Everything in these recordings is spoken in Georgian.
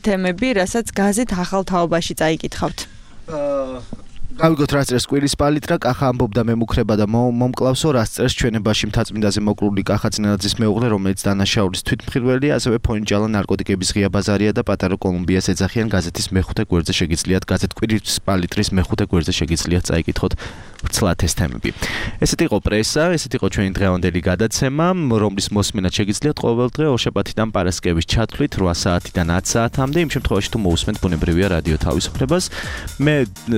თემები, რასაც გაზეთ ახალ თაობაში წაიკითხავთ. გავიგოთ რა წერს კვირის პალიტრა, კახა ამბობდა მემუქრება და მომკლავსო, რა წერს ჩვენებაში მთაწმინდაზე მოკრული კახა წინადაძის მეუღლე, რომელიც დანაშაულის თვითმხილველია, ასევე ფონჯალა ნარკოტიკების ღია ბაზარია და პატარა კოლუმბიას ეძახიან. გაზეთის მეხუთე გვერდზე შეგიძლიათ გაზეთ კვირის პალიტრის მეხუთე გვერდზე შეგიძლიათ წაიკითხოთ ცლად ეს თემები. ესეთი იყო პრესა, ესეთი იყო ჩვენი დღევანდელი გადაცემა, რომლის მოსმენად შეგიძლიათ ყოველ დღე ორშაბათიდან პარასკევის ჩათვლით 8 საათიდან 10 საათამდე. იმ შემთხვევაში თუ მოусმენთ ბუნებრივია რადიო თავისუფლებას. მე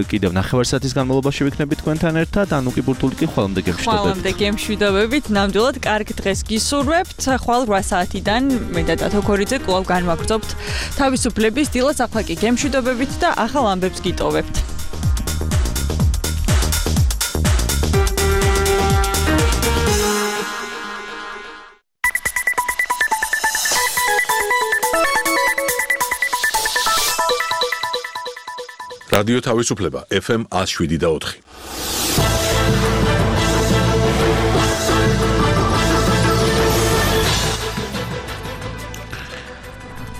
კიდევ 9 საათის განმავლობაში ვიქნები თქვენთან ერთად, ანუკი ბურტული კი ხვალამდე გემშვიდობებით. ხვალამდე გემშვიდობებით, ნამდვილად კარგ დღეს გისურვებთ. ხვალ 8 საათიდან მე და დათო ქორიძე კვლავ განვაგრძობთ თავისუფლების დილას. ახლა კი გემშვიდობებით და ახალ ამბებს გიტოვებთ. რადიო თავისუფლება FM 107.4.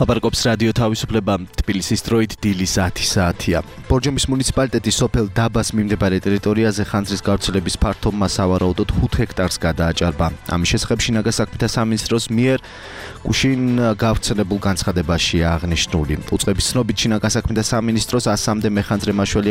აბარგობს რადიო თავისუფლება თბილისის დროით დილის 10 საათია. ბორჯომის მუნიციპალიტეტის სოფელ დაბას მიმდებარე ტერიტორიაზე ხანძრის გავრცელების ფართობმა სავარაუდოდ 5 ჰექტარს გადააჭარბა. ამის შესახებ შინაგან საქმეთა სამინისტროს მიერ გუშინ გავრცელებულ განცხადებაშია აღნიშნული. უწყების ცნობით შინაგან საქმეთა სამინისტროს 100-მდე მეხანძრე მაშველი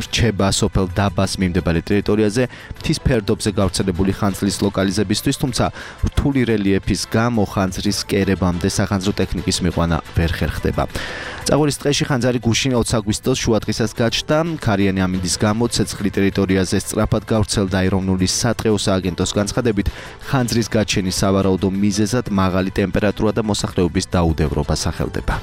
რჩება სოფელ დაბას მიმდებარე ტერიტორიაზე მთის ფერდობზე გავრცელებული ხანძრის ლოკალიზებისთვის, თუმცა რთული რელიეფის გამო ხანძრის კერებამდე სახანძრო ტექნიკის მიყვანა ვერ ხერხდება. წაღვლის ტყეში ხანძარი გუშინ 20 აგვისტოს შუადღისას გაჩნდა. ქარიანი ამინდის გამო ცეცხლი ტერიტორიაზე სწრაფად გავრცელდა. ეროვნული სატყეო სააგენტოს განცხადებით, ხანძრის გაჩენის სავარაუდო მიზეზად მაღალი ტემპერატურა და მოსახლეობის დაუდევრობა სახელდება.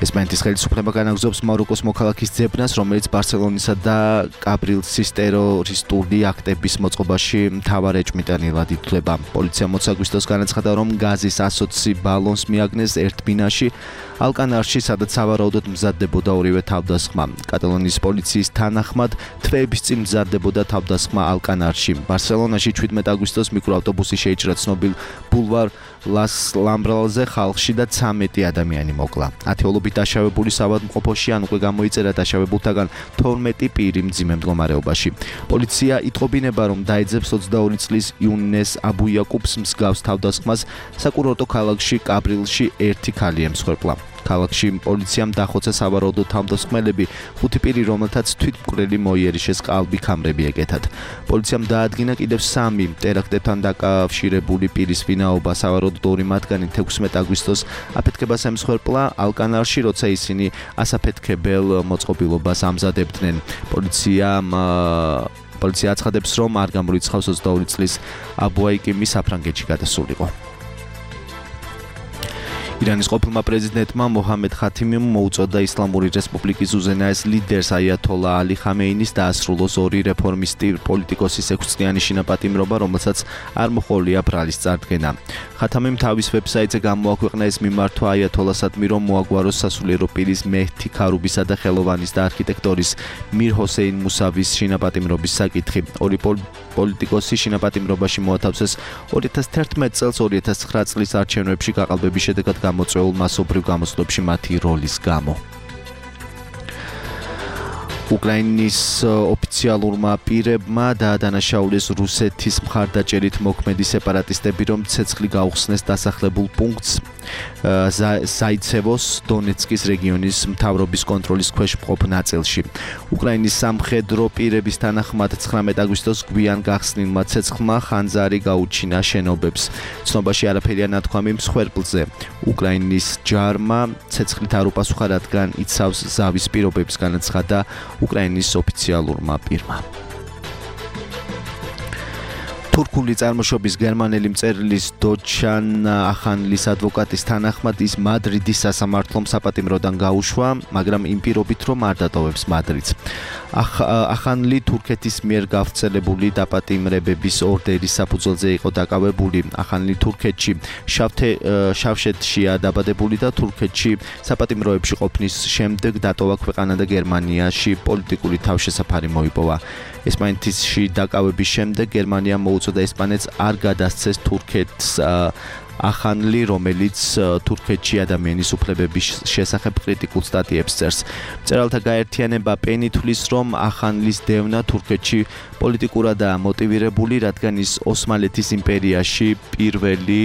ესპანეთის ხელისუფლება განაგრძობს მაროკოს მოქალაქის ძებნას, რომელიც ბარსელონისა და კაბრილსის ტერორისტული აქტების მოწყობაში მთავარ ეჭვმიტანილად ითვლება. პოლიციამ 20 აგვისტოს განაცხადა, რომ გაზის 120 ბალონს მიაგნეს ერთ ბინაში ალკანარში, სადაც სავარაუდოდ მზადდებოდა ორივე თავდასხმა. კატალონიის პოლიციის თანახმად, თვეების წინ მზადდებოდა თავდასხმა ალკანარში. ბარსელონაში 17 აგვისტოს მიკროავტობუსი შეიჭრა ცნობილ ბულვარ ლას ლამბრალზე, ხალხში და 13 ადამიანი მოკლა. ათეულობით დაშავებული საავადმყოფოში ან უკვე გამოიწერა დაშავებულთაგან 12 პირი მძიმე მდგომარეობაში. პოლიცია იტყობინება, რომ დაეძებს 22 წლის იუნეს აბუიაკუბს მსგავს თავდასხმას საკურორტო ქალაქში კაბრილში ერთი ქალი ემსხვერპლა. ქალაქში პოლიციამ დახოცა სავარაუდო თავდასხმელები, 5 პირი, რომელთაც თვითმკვლელი მოიერიშეს ყალბი ქამრები ეკეთათ. პოლიციამ დაადგინა კიდევ 3 ტერაქტებთან დაკავშირებული პირის ვინაობა. სავარაუდოდ 2 მათგანი 16 აგვისტოს აფეთქებას ემსხვერპლა ალკანარში, როცა ისინი ასაფეთქებელ მოწყობილობას ამზადებდნენ. პოლიცია აცხადებს, რომ არ გამორიცხავს 22 წლის აბუაიკიმი საფრანგეთში გადასულიყო. ირანის ყოფილმა პრეზიდენტმა მოჰამედ ხათიმიმ მოუწოდა ისლამური რესპუბლიკის უზენაეს ლიდერს აიათოლა ალი ხამეინის დაასრულოს 2 რეფორმისტი პოლიტიკოსის 6-წლიანი შინაპატიმრობა, რომელსაც არ მოჰყოლია ბრალის წარდგენა. ხათამიმ თავის ვებსაიტზე გამოაქვეყნა ეს მიმართვა აიათოლასადმი, რომ მოაგვაროს სასულიერო პირის მეჰთი ქარუბისა და ხელოვანის და არქიტექტორის მირ ჰოსეინ მუსავის შინაპატიმრობის საკითხი. 2 პოლიტიკოსი შინაპატიმრობაში მოათავსეს 2011 წელს 2009 წლის არჩევნებში გაყალბების შედეგად გამოწვეულ მასობრივ გამოსვლებში მათი როლის გამო. უკრაინის ოფიციალურმა პირებმა დაადანაშაულეს რუსეთის მხარდაჭერით მოქმედი სეპარატისტები, რომ ცეცხლი გაუხსნეს დასახლებულ პუნქტს ზაიცევოს დონეცკის რეგიონის მთავრობის კონტროლის ქვეშ მყოფ ნაწილში. უკრაინის სამხედრო პირების თანახმად 19 აგვისტოს გვიან გახსნილმა ცეცხლმა ხანძარი გაუჩინა შენობებს. ცნობაში არაფერია ნათქვამი მსხვერპლზე. უკრაინის ჯარმა ცეცხლით არ უპასუხა, რადგან იცავს ზავის პირობებს, განაცხადა უკრაინის ოფიციალურმა პირმა. თურქული წარმოშობის გერმანელი მწერლის დოჩან ახანლის ადვოკატის თანახმად ის მადრიდის სასამართლომ საპატიმროდან გაუშვა, მაგრამ იმ პირობით, რომ არ დატოვებს მადრიდს. ახანლი თურქეთის მიერ გავრცელებული დაპატიმრებების ორდერის საფუძველზე იყო დაკავებული. ახანლი თურქეთში შავშეთშია დაბადებული და თურქეთში საპატიმროებში ყოფნის შემდეგ დატოვა ქვეყანა და გერმანიაში პოლიტიკური თავშესაფარი მოიპოვა. ესპანეთში დაკავების შემდეგ გერმანიამ მოუწოდა ესპანეთს არ გადასცეს თურქეთს ახანლი, რომელიც თურქეთში ადამიანის უფლებების შესახებ კრიტიკულ სტატიებს წერს. მწერალთა გაერთიანება პენი თვლის, რომ ახანლის დევნა თურქეთში პოლიტიკურადაა მოტივირებული, რადგან ის ოსმალეთის იმპერიაში პირველი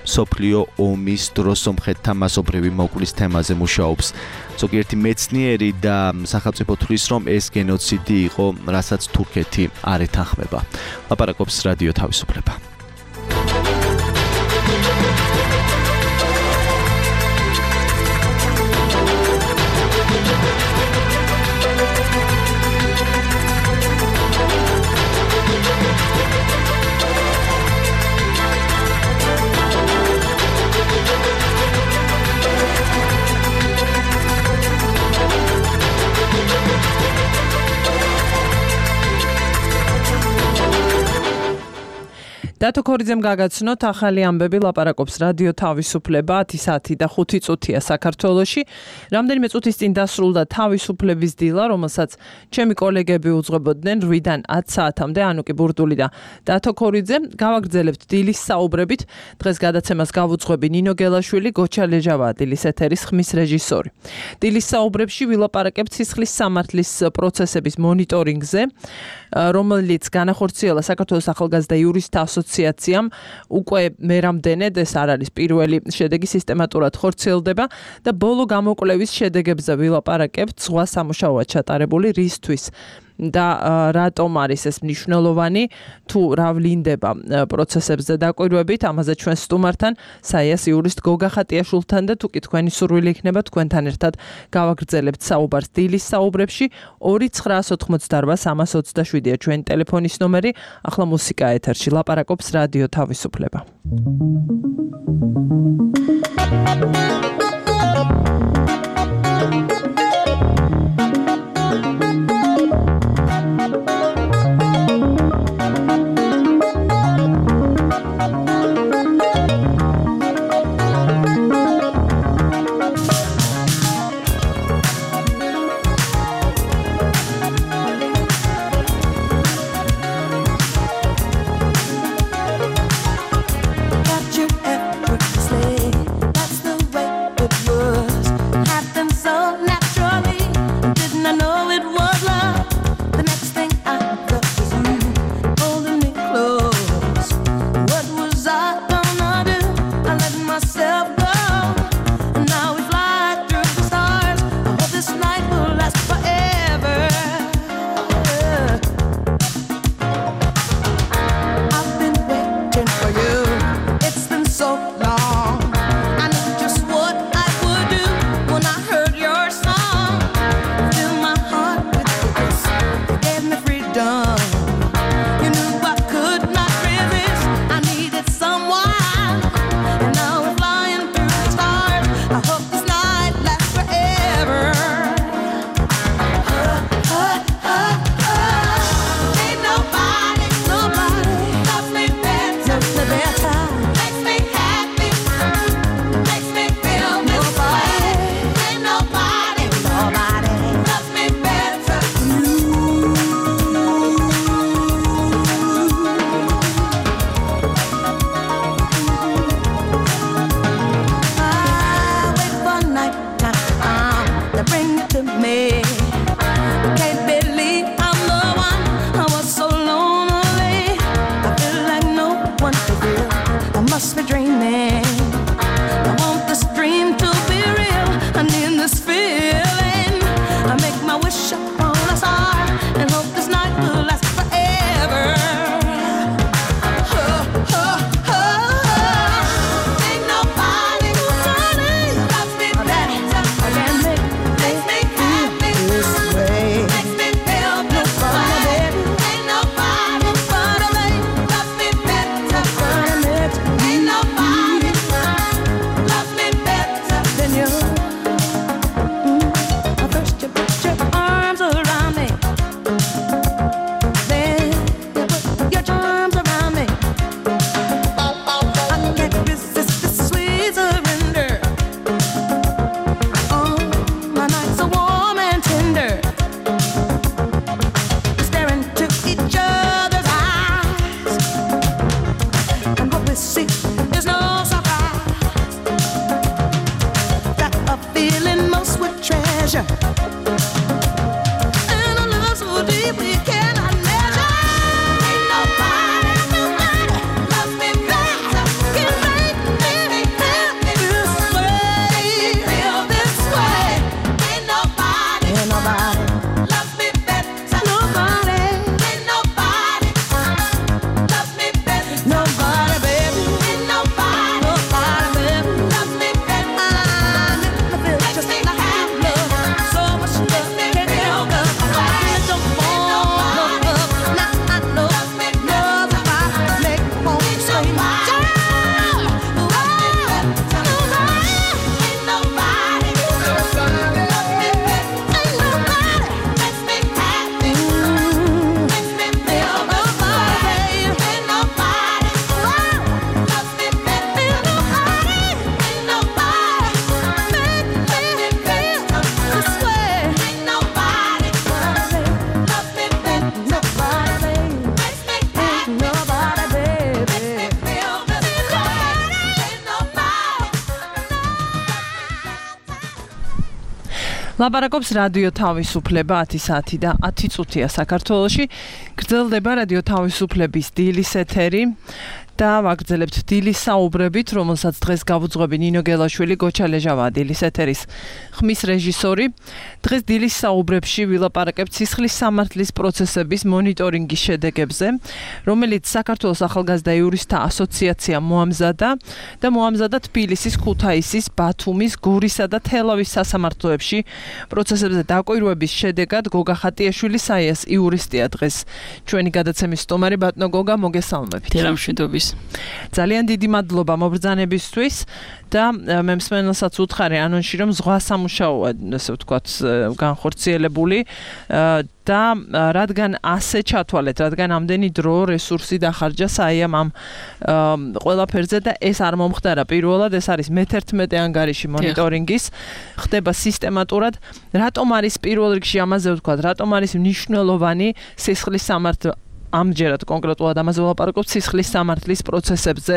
მსოფლიო ომის დროს სომხეთთან მასობრივი მოკვლის თემაზე მუშაობს. ზოგიერთი მეცნიერი და სახელმწიფო თვლის, რომ ეს გენოციდი იყო, რასაც თურქეთი არ ეთანხმება. ლაპარაკობს რადიო თავისუფლება. დათო ქორიძემ გაგაცნოთ ახალი ამბები, ლაპარაკობს რადიო თავისუფლება 10 და 5 წუთია საქართველოში. რამდენიმე წუთის წინ დასრულდა თავისუფლების დილა, რომელსაც ჩემი კოლეგები უძღვებოდნენ 8-დან 10 საათამდე, ანუ კი ბურდული და დათო ქორიძე. გავაგრძელებთ დილის საუბრებით. დღეს გადაცემას გავუძღვები ნინო გელაშვილი, გოჩა ლეჟავა დილის ეთერის ხმის რეჟისორი. დილის საუბრებში ვილაპარაკებთ სისხლის სამართლის პროცესების მონიტორინგზე, რომელიც განახორციელა საქართველოს ახალგაზრდა იურისტთა ასოციაციამ. უკვე მერამდენედ ეს არ არის პირველი შედეგი, სისტემატურად ხორციელდება და ბოლო გამოკვლევის შედეგებზე ვილაპარაკებთ, სხვა სამუშაოა ჩატარებული რისთვის და რატომ არის ეს მნიშვნელოვანი, თუ რა ვლინდება პროცესებზე დაკვირვებით, ამაზე ჩვენ სტუმართან, საიას იურისტ გოგა ხატიაშვილთან და თუ კი თქვენი სურვილი იქნება, თქვენთან ერთად გავაგრძელებთ საუბარს დილის საუბრებში. 2988327-ია ჩვენი ტელეფონის ნომერი. ახლა მუსიკა ეთერში, ლაპარაკობს რადიო თავისუფლება. Got you effortlessly. That's the way ლაპარაკობს რადიო თავისუფლება 10 საათი და 10 წუთია საქართველოში. გრძელდება რადიო თავისუფლების დილის ეთერი და ვაგრძელებთ დილის საუბრებით, რომელსაც დღეს გავუძღვები ნინო გელაშვილი, გოჩა ლეჟავა დილის ეთერის ხმის რეჟისორი. დღეს დილის საუბრებში ვილაპარაკებთ სისხლის სამართლის პროცესების მონიტორინგის შედეგებზე, რომელიც საქართველოს ახალგაზრდა იურისტთა ასოციაციამ მოამზადა და მოამზადა თბილისის, ქუთაისის, ბათუმის, გურისა და თელავის სასამართლოებში პროცესებზე დაკვირვების შედეგად გოგა ხატიაშვილი საიას იურისტია დღეს ჩვენი გადაცემის სტუმარი. ბატონო გოგა, მოგესალმებით. დილამშვიდობის. ძალიან დიდი მადლობა მობრძანებისთვის და მე მსმენელსაც უთხარი ანონსში, რომ ზღვა სამუშაოა, ასე ვთქვათ, განხორციელებული და რადგან ასე ჩათვალეთ, რადგან ამდენი დრო, რესურსი დახარჯა საიამ ამ ყველაფერზე და ეს არ მომხდარა პირველად, ეს არის მე-11 ანგარიში მონიტორინგის, ხდება სისტემატურად. რატომ არის პირველ რიგში ამაზე ვთქვათ, რატომ არის მნიშვნელოვანი სისხლის სამართლი ამჯერად კონკრეტულად ამაზე ვლაპარაკობთ სისხლის სამართლის პროცესებზე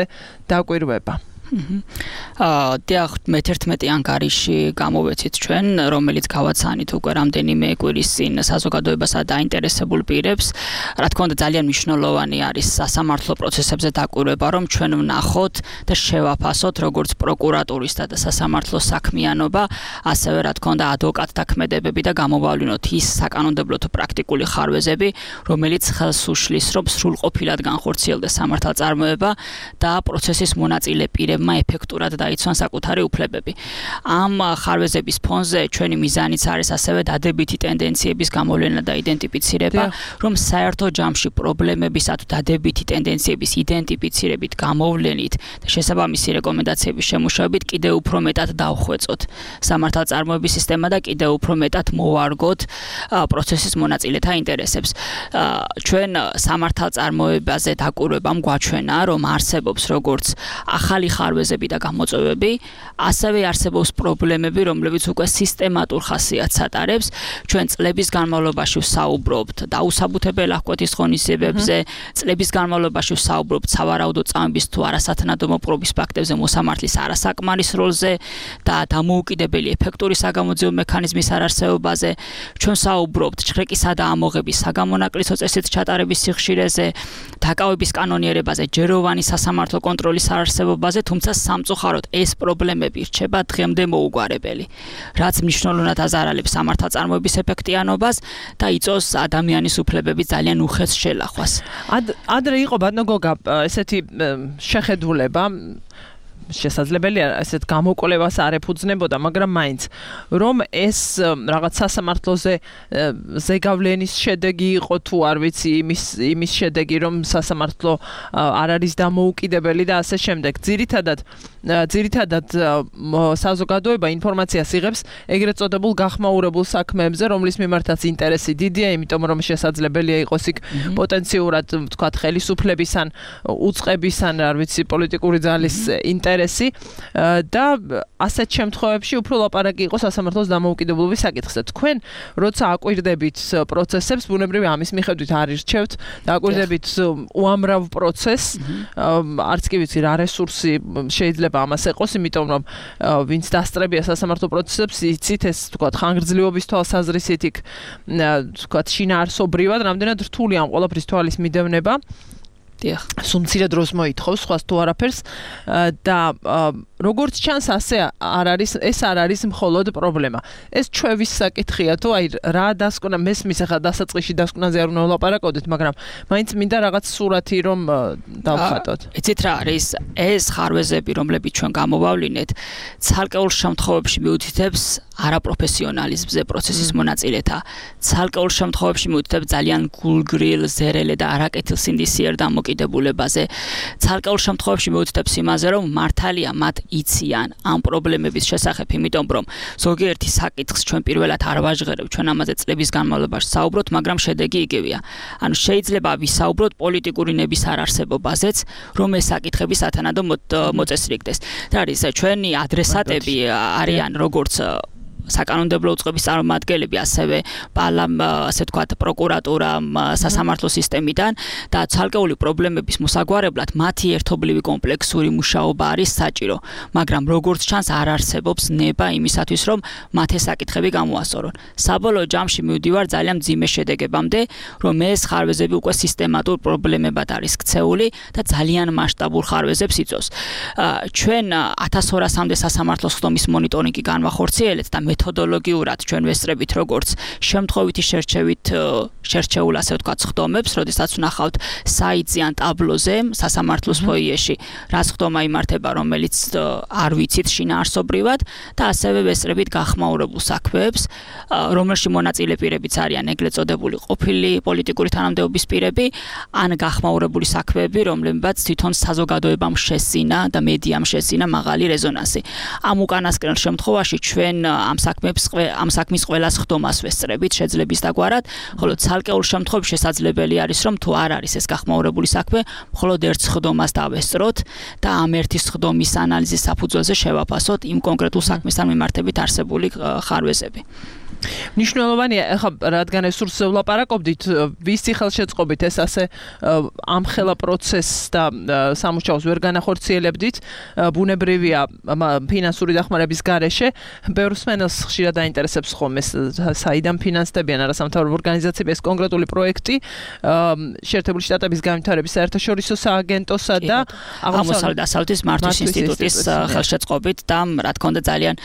დაკვირვება. დიახ, მე-11 ანგარიში გამოვეცით ჩვენ, რომელიც გავაცანით უკვე რამდენიმე კვირის წინ საზოგადოებასა დაინტერესებულ პირებს. რა თქმა უნდა, ძალიან მნიშვნელოვანი არის სასამართლო პროცესებზე დაკვირვება, რომ ჩვენ ვნახოთ და შევაფასოთ როგორც პროკურატურისა და სასამართლოს საქმიანობა, ასევე რა თქმა უნდა, ადვოკატთა ქმედებები და გამოვავლინოთ ის საკანონმდებლო თუ პრაქტიკული ხარვეზები, რომელიც ხელს უშლის, რომ სრულყოფილად განხორციელდეს სამართალწარმოება და პროცესის მონაწილე პირებმა ეფექტურად დაიცვან საკუთარი უფლებები. ამ ხარვეზების ფონზე ჩვენი მიზანიც არის ასევე დადებითი ტენდენციების გამოვლენა და იდენტიფიცირება, რომ საერთო ჯამში პრობლემებისა თუ დადებითი ტენდენციების იდენტიფიცირებით, გამოვლენით და შესაბამისი რეკომენდაციების შემუშავებით კიდევ უფრო მეტად დავხვეწოთ სამართალწარმოების სისტემა და კიდევ უფრო მეტად მოვარგოთ პროცესის მონაწილეთა ინტერესებს. ჩვენ სამართალწარმოებაზე დაკვირვებამ გვაჩვენა, რომ არსებობს როგორც ახალი ხარვეზები და გამოწვევები, ასევე არსებობს პრობლემები, რომლებიც უკვე სისტემატურ ხასიათს ატარებს. ჩვენ წლების განმავლობაში ვსაუბრობთ დაუსაბუთებელი აღკვეთის ღონისძიებებზე, წლების განმავლობაში ვსაუბრობთ სავარაუდო წამების თუ არასათანადო მოპყრობის ფაქტებზე მოსამართლის არასაკმარის როლზე და დამოუკიდებელი ეფექტური საგამოძიებო მექანიზმის არარსებობაზე. ჩვენ ვსაუბრობთ ჩხრეკისა და ამოღების საგამონაკლისო წესით ჩატარების სიხშირეზე, დაკავების კანონიერებაზე, ჯეროვანი სასამართლო კონტროლის არარსებობაზე, თუმცა სამწუხაროდ ეს პრობლემები რჩება დღემდე მოუგვარებელი, რაც მნიშვნელოვნად აზარალებს სამართალწარმოების ეფექტიანობას და იწვევს ადამიანის უფლებების ძალიან უხეც შელახვას. ადრე იყო ბატონო გოგა ესეთი შეხედულება, შესაძლებელია ესეთ გამოკვლევას არ ეფუძნებოდა, მაგრამ მაინც რომ ეს რაღაც სასამართლოზე ზეგავლენის შედეგი იყო თუ არ ვიცი, იმის შედეგი, რომ სასამართლო არ არის დამოუკიდებელი და ასე შემდეგ. ძირითადად საზოგადოება ინფორმაციას იღებს ეგრეთ წოდებულ გახმაურებულ საქმეებზე, რომლის მიმართაც ინტერესი დიდია, იმიტომ რომ შესაძლებელია იყოს იქ პოტენციურად, ვთქვათ, ხელისუფლების ან უწყების ან არ ვიცი, პოლიტიკური ძალის ინტერესი ინტერესი და ასეთ შემთხვევებში უფრო ლაპარაკი იყო სასამართლოს დამოუკიდებლობის საკითხზე. თქვენ როცა აკვირდებით პროცესებს, ბუნებრივია ამის მიხედვით არ ირჩევთ და აკვირდებით უამრავ პროცესს, არც კი ვიცი რა რესურსი შეიძლება ამას ეყოს, იმიტომ რომ ვინც დასწრებია სასამართლო პროცესებს, იცით ეს თქვათ ხანგრძლივობის თვალსაზრისით იქ თქვათ შინაარსობრივად რამდენად რთული ამ ყველაფრის თვალის მიდევნება. სულ მცირე დროს მოითხოვს სხვას თუ არაფერს და როგორც ჩანს ასე ეს არ არის მხოლოდ პრობლემა. ეს ჩვევის საკითხია თუ აი რა დასკვნა მესმის ახლა დასაწყისში დასკვნაზე არ უნდა ვლაპარაკოდეთ, მაგრამ მაინც მინდა რაღაც სურათი რომ დავხატოთ. იცით რა არის ეს ხარვეზები, რომლებიც ჩვენ გამოვავლინეთ, ცალკეულ შემთხვევებში მიუთითებს არაპროფესიონალიზმზე პროცესის მონაწილეთა. ცალკეულ შემთხვევებში მიუთითებს ძალიან გულგრილ, ზერელე და არაკეთილსინდისიერ დამოკიდებულებაზე. ცალკეულ შემთხვევებში მიუთითებს იმაზე, რომ მართალია მათ იციან ამ პრობლემების შესახებ, იმიტომ რომ ზოგიერთი საკითხს ჩვენ პირველად არ ვაჟღერებთ, ჩვენ ამაზე წლების განმავლობაში საუბრობთ, მაგრამ შედეგი იგივეა. ანუ შეიძლება ვისაუბროთ პოლიტიკური ნების არარსებობაზეც, რომ ეს საკითხები სათანადო მოწესრიგდეს. და არის ჩვენი ადრესატები არიან როგორც საკანონმდებლო უწყების წარმომადგენლები, ასევე ასე ვთქვათ, პროკურატურა, სასამართლო სისტემიდან და ცალკეული პრობლემების მოსაგვარებლად მათი ერთობლივი კომპლექსური მუშაობა არის საჭირო, მაგრამ როგორც ჩანს არ არსებობს ნება იმისათვის, რომ მათ ეს საკითხები გამოასწორონ. საბოლოო ჯამში მივდივარ ძალიან მძიმე შედეგებამდე, რომ ეს ხარვეზები უკვე სისტემატურ პრობლემებად არის ქცეული და ძალიან მასშტაბურ ხარვეზებს იწვევს. ჩვენ 1200-მდე სასამართლოს ხდომის მონიტორინგი განვახორციელეთ და მეთოდოლოგიურად ჩვენ ვესწრებით როგორც შემთხვევითი შერჩეულ ასე ვთქვათ ხდომებს, როდესაც ვნახავთ საიტზე ან ტაბლოზე სასამართლოს ფოიეში რა ხდომა იმართება, რომელიც არ ვიცით შინაარსობრივად და ასევე ვესწრებით გახმაურებულ საქმეებს, რომელში მონაწილე პირებიც არიან ეგრეთ წოდებული ყოფილი პოლიტიკური თანამდებობის პირები ან გახმაურებული საქმეები, რომლებიც თვითონ საზოგადოებამ შესინა და მედიამ შესინა მაღალი რეზონანსი. ამ უკანასკნელ შემთხვევაში ჩვენ ამ საქმის ყველას ხდომას ვესწრებით შეძლების დაგვარად, ხოლო ცალკეულ შემთხვევებში შესაძლებელი არის, რომ თუ არ არის ეს გახმაურებული საქმე, მხოლოდ ერთ ხდომას დავესწროთ და ამ ერთის ხდომის ანალიზის საფუძველზე შევაფასოთ იმ კონკრეტულ საქმესთან მიმართებით არსებული ხარვეზები. მნიშვნელოვანია, ახლა რადგან ეს სურს ვლაპარაკობდით, ვისი ხელშეწყობით ეს ასე ამხელა პროცესს და სამუშაოს ვერ განახორციელებდით, ბუნებრივია ფინანსური დახმარების გარეშე, ბევრს მენელს ხშირად დაინტერესებს ხოლმე საიდან ფინანსდებიან არასამთავრობო ორგანიზაციები ეს კონკრეტული პროექტი, შეერთებული შტატების განვითარების საერთაშორისო სააგენტოსა და აღმოსავლეთ-დასავლეთის მართვის ინსტიტუტის ხელშეწყობით და რა თქმა უნდა ძალიან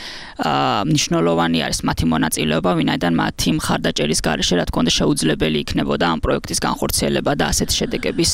მნიშვნელოვანი არის მათი მონაწილეობა, ვინაიდან მათი მხარდაჭერის გარეშე რა თქმა უნდა შეუძლებელი იქნებოდა ამ პროექტის განხორციელება და ასეთი შედეგების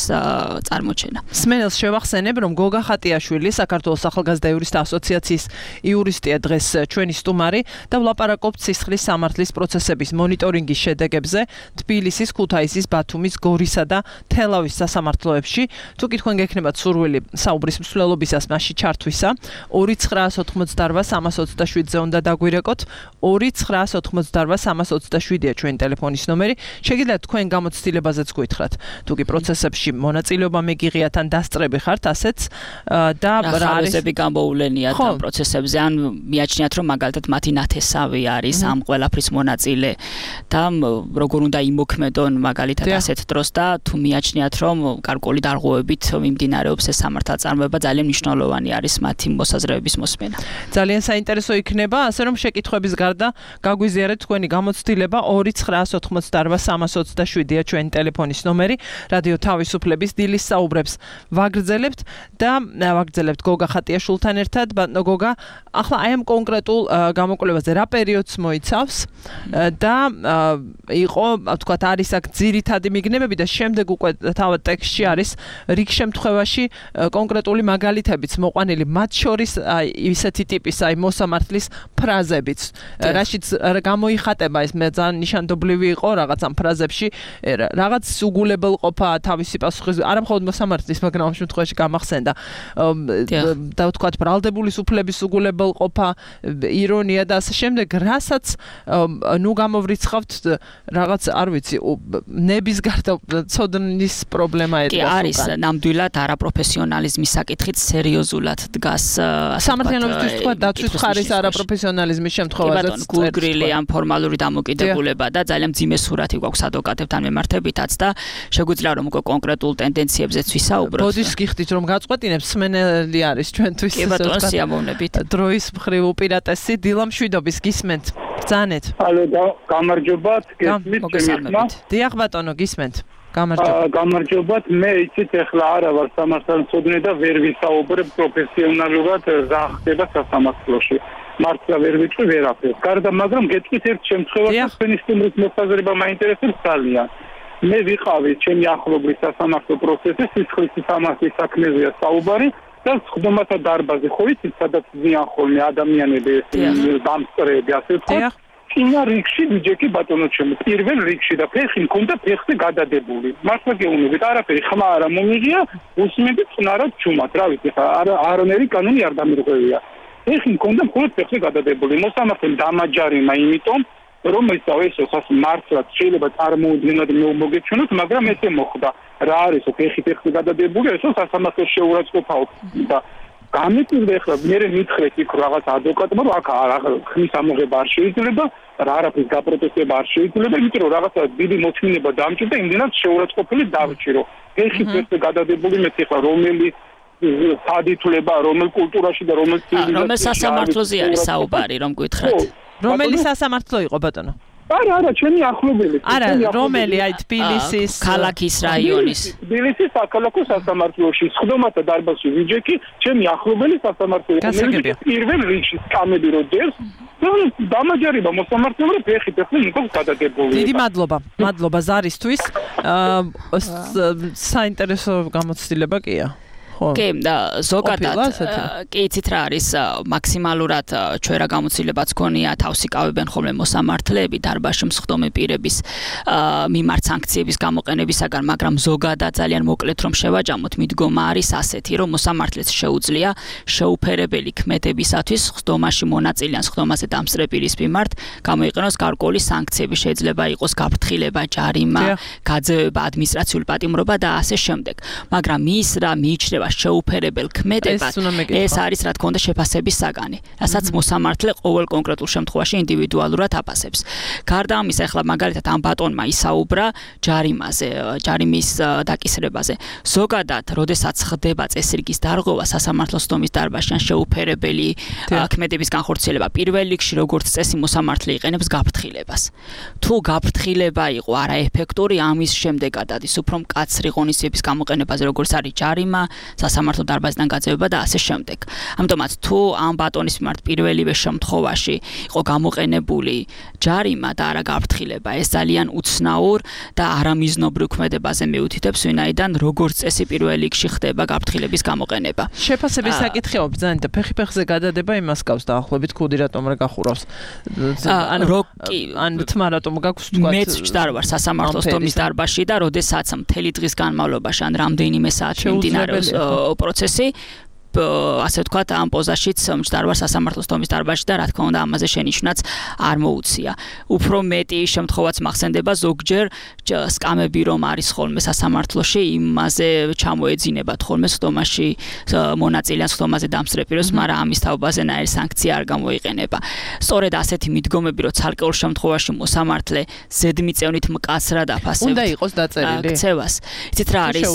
წარმოჩენა. სმენელს შევახსენებ, რომ გოგა ხატიაშვილი, საქართველოს ახალგაზრდა იურისტთა ასოციაციის იურისტია დღეს ჩვენი სტუმარი და ვლაპარაკობთ სისხლის სამართლის პროცესების მონიტორინგის შედეგებზე თბილისის, ქუთაისის, ბათუმის, გორისა და თელავის სასამართლოებში. თუ კი თქვენ გექნებათ სურვილი საუბრის მსვლელობისას მასში ჩართვისა, 2988327-ზე უნდა დაგვირეკოთ, 2988327-ია ჩვენი ტელეფონის ნომერი. შეგიძლიათ თქვენ გამოცდილებაზეც გითხრათ. თუ კი პროცესებში მონაწილეობა მეგიღიათ ან დასწრები ხართ, ასეც და რა არის გამოულენიათ ამ პროცესებზე, ან მიაჩნიათ, რომ მაგალითად მათი ნათესავი არის ამ ყველაფრის მონაწილე და როგორ უნდა იმოქმედონ მაგალითად ასეთ დროს და თუ მიაჩნიათ, რომ გარკვეული დარღვევებით მიმდინარეობს ეს სამართალწარმოება, ძალიან მნიშვნელოვანი არის მათი მოსაზრებების მოსმენა. ძალიან საინტერესო იქნება, ასე რომ შეკითხვების გარდა გაგვიზიარეთ თქვენი გამოცდილება 2988327-ია ჩვენი ტელეფონის ნომერი. რადიო თავისუფლების დილის საუბრებს ვაგრძელებთ გოგა ხატიაშვილთან ერთად. ბატონო გოგა, ახლა აი ამ კონკრეტულ გამოკვლევაზე რა პერიოდს მოიცავს და იყო, თქვათ, არის აქ ძირითადი მიგნებები და შემდეგ უკვე თავად ტექსტში არის რიგ შემთხვევაში კონკრეტული მაგალითებიც მოყვანილი, მათ შორის ისეთი ტიპის მოსამართლის ფრაზებიც, რაშიც გამოიხატება ეს მე ძალიან ნიშანდობლივი იყო რაღაც ამ ფრაზებში, რაღაც უგულებელყოფა თავისი პასუხის, არა მხოლოდ მოსამართლის, მაგრამ ამ შემთხვევაში გამახსენდა და ვთქვათ ბრალდებული სუფლების უგულებელყოფა, ირონია და ასე შემდეგ რასაც ნუ გამოვრიცხავთ რაღაც არ ვიცი ნების გარდა ცოდნის პრობლემა კი არის ნამდვილად არაპროფესიონალიზმის საკითხით სერიოზულად დგას სამართლიანობისთვის თქვა დაცვის ხარის არაპროფესიონალიზმის შემთხვევაშიც გულგრილი ან ფორმალური დამოკიდებულება და ძალიან მძიმე სურათი გვაქვს ადვოკატებთან მიმართებითაც და შეგვიძლია რომ უკვე კონკრეტულ ტენდენციებზეც ვისაუბროთ. ბოდის გიხდით რომ გაწყვეტინებს სმენელი არის ჩვენთვის კი ბატონო სიამოვნებით. დროის მხრივ უპირატესი დილა მშვიდობის გისმენთ. ბრძანეთ. ალო გამარჯობათ, გესმით? დიახ ბატონო გისმენთ. გამარჯობათ, მე იცით ახლა არა ვარ სამართალმცოდნე და ვერ ვისაუბრებ პროფესიონალურად რა ხდება სასამართლოში. მართლა ვერ ვიტყვი ვერაფერს. გარდა მაგრამ გეტყვით ერთ შემთხვევაში თქვენი სტუმრის მოსაზრება მაინტერესებს ძალიან. მე ვიყავი ჩემი ახლობლის სასამართლო პროცესის სისხლის სამართლის საქმეზეა საუბარი და სხდომათა დარბაზი ხო იცით სადაც ზიან ხოლმე ადამიანები დამსწრეები ასე ვთქვათ. წინა რიგში ბიჯეკი ბატონო ჩემო პირველ რიგში და ფეხი მქონდა ფეხზე გადადებული. მართლა გეუბნებით არაფერი ხმა არა მომიღია, უსმენდი წნარად ჩუმად, რა ვიცი ხა არანერი კანონი არ დამირღვევია. ფეხი მქონდა მხოლოდ ფეხზე გადადებული. მოსამართლემ დამაჯარიმა იმიტომ რომ ესო მართლაც შეიძლება წარმოუდგენლად მოგეჩვენოთ, მაგრამ ესე მოხდა. რა არის ფეხი ფეხზე გადადებული, ესო სასამართლოს შეურაცხყოფაო და გამიკვირდა ახლა მე მითხრეთ იქ რაღაც ადვოკატმა რომ აქ ხმის ამოღება არ შეიძლება, არაფრის გაპროტესტება არ შეიძლება, იმიტომ რომ რაღაცა დიდი მოთმინება დამჭირდა, იმდენად შეურაცხყოფილი დავრჩირო. ფეხი ფეხზე გადადებული მე ხა რომელი სადითვლება, რომელ კულტურაში და რომელ ცივილიზაციაში რომელ სასამართლოზე არის საუბარი, რომ გითხრათ. რომელი სასამართლო იყო ბატონო? არა, ჩემი ახლობელი. არა, რომელი აი თბილისის ქალაქის რაიონის. თბილისის საქალაქო სასამართლოში, სხდომათა დარბაზში ვიჯეკი, ჩემი ახლობელი სასამართლო. პირველ რიგში სკამები რო დევს, დამაჯერება მოსამართლემ რომ ფეხი მიყავს გადადებული. დიდი მადლობა ზარისთვის. საინტერესო გამოცდილება კია. კი, ზოგადად კი იცით რა არის მაქსიმალურად ჩვენ რა გამოცდილებაც გქონია თავსი კავებენ ხოლმე მოსამართლეები დარბაზში მსხდომი პირების მიმართ სანქციების გამოყენებისაგან, მაგრამ ზოგადად ძალიან მოკლედ რომ შევაჯამოთ, მიდგომა არის ასეთი, რომ მოსამართლეს შეუძლია შეუფერებელი ქმედებისათვის სხდომაში მონაწილე ან სხდომაზე დამსწრე პირის მიმართ გამოიყენოს გარკვეული სანქციები, შეიძლება იყოს გაფრთხილება, ჯარიმა, გაძევება, ადმინისტრაციული პატიმრობა და ასე შემდეგ. მაგრამ ის რა მიიჩნევა შეუფერებელ ქმედებად ეს არის რა თქმა უნდა შეფასების საგანი, რასაც მოსამართლე ყოველ კონკრეტულ შემთხვევაში ინდივიდუალურად აფასებს. გარდა ამისა, ახლა მაგალითად ამ ბატონმა ისაუბრა ჯარიმაზე, ჯარიმის დაკისრებაზე. ზოგადად, როდესაც ხდება წესრიგის დარღვევა სასამართლო სხდომის დარბაზში ან შეუფერებელი ქმედების განხორციელება, პირველ რიგში როგორც წესი მოსამართლე იყენებს გაფრთხილებას. თუ გაფრთხილება იყო არაეფექტური, ამის შემდეგად ადის უფრო მკაცრი ღონისძიების გამოყენებაზე, როგორც არის ჯარიმა, სასამართლო დარბაზიდან გაძევება და ასე შემდეგ. ამიტომაც თუ ამ ბატონის მიმართ პირველივე შემთხვევაში იყო გამოყენებული ჯარიმა და არა გაფრთხილება, ეს ძალიან უცნაურ და არამიზნობრივ ქმედებაზე მიუთითებს, ვინაიდან როგორც წესი პირველ რიგში ხდება გაფრთხილების გამოყენება. შეფასების საკითხია ბრძანეთ და ფეხზე გადადება იმას გავს დაახლოებით ქუდი რატომ არ გახურავს. ან თმა რატომ გაქვს თქვა. მეც ვჭდარ ვარ სასამართლო სხდომის დარბაზში და როდესაც მთელი დღის განმავლობაში ან რამდენიმე საათი მიმდინარეობს პროცესი, ასე ვთქვათ, ამ პოზაშიც მჭდარ ვარ სასამართლო სხდომის დარბაზში და რა თქმა უნდა ამაზე შენიშვნაც არ მოუწია. უფრო მეტი შემთხვევაც მახსენდება ზოგჯერ სკამები რომ არის ხოლმე სასამართლოში, იმაზე ჩამოეძინებათ ხოლმე სხდომაში მონაწილე ან სხდომაზე დამსწრე პირებს, მაგრამ ამის თაობაზე ნაირი სანქცია არ გამოიყენება. სწორედ ასეთი მიდგომები, რომ ცალკეულ შემთხვევაში მოსამართლე ზედმიწევნით მკაცრად აფასებს. უნდა იყოს დაწერილი ქცევას. იცით რა არის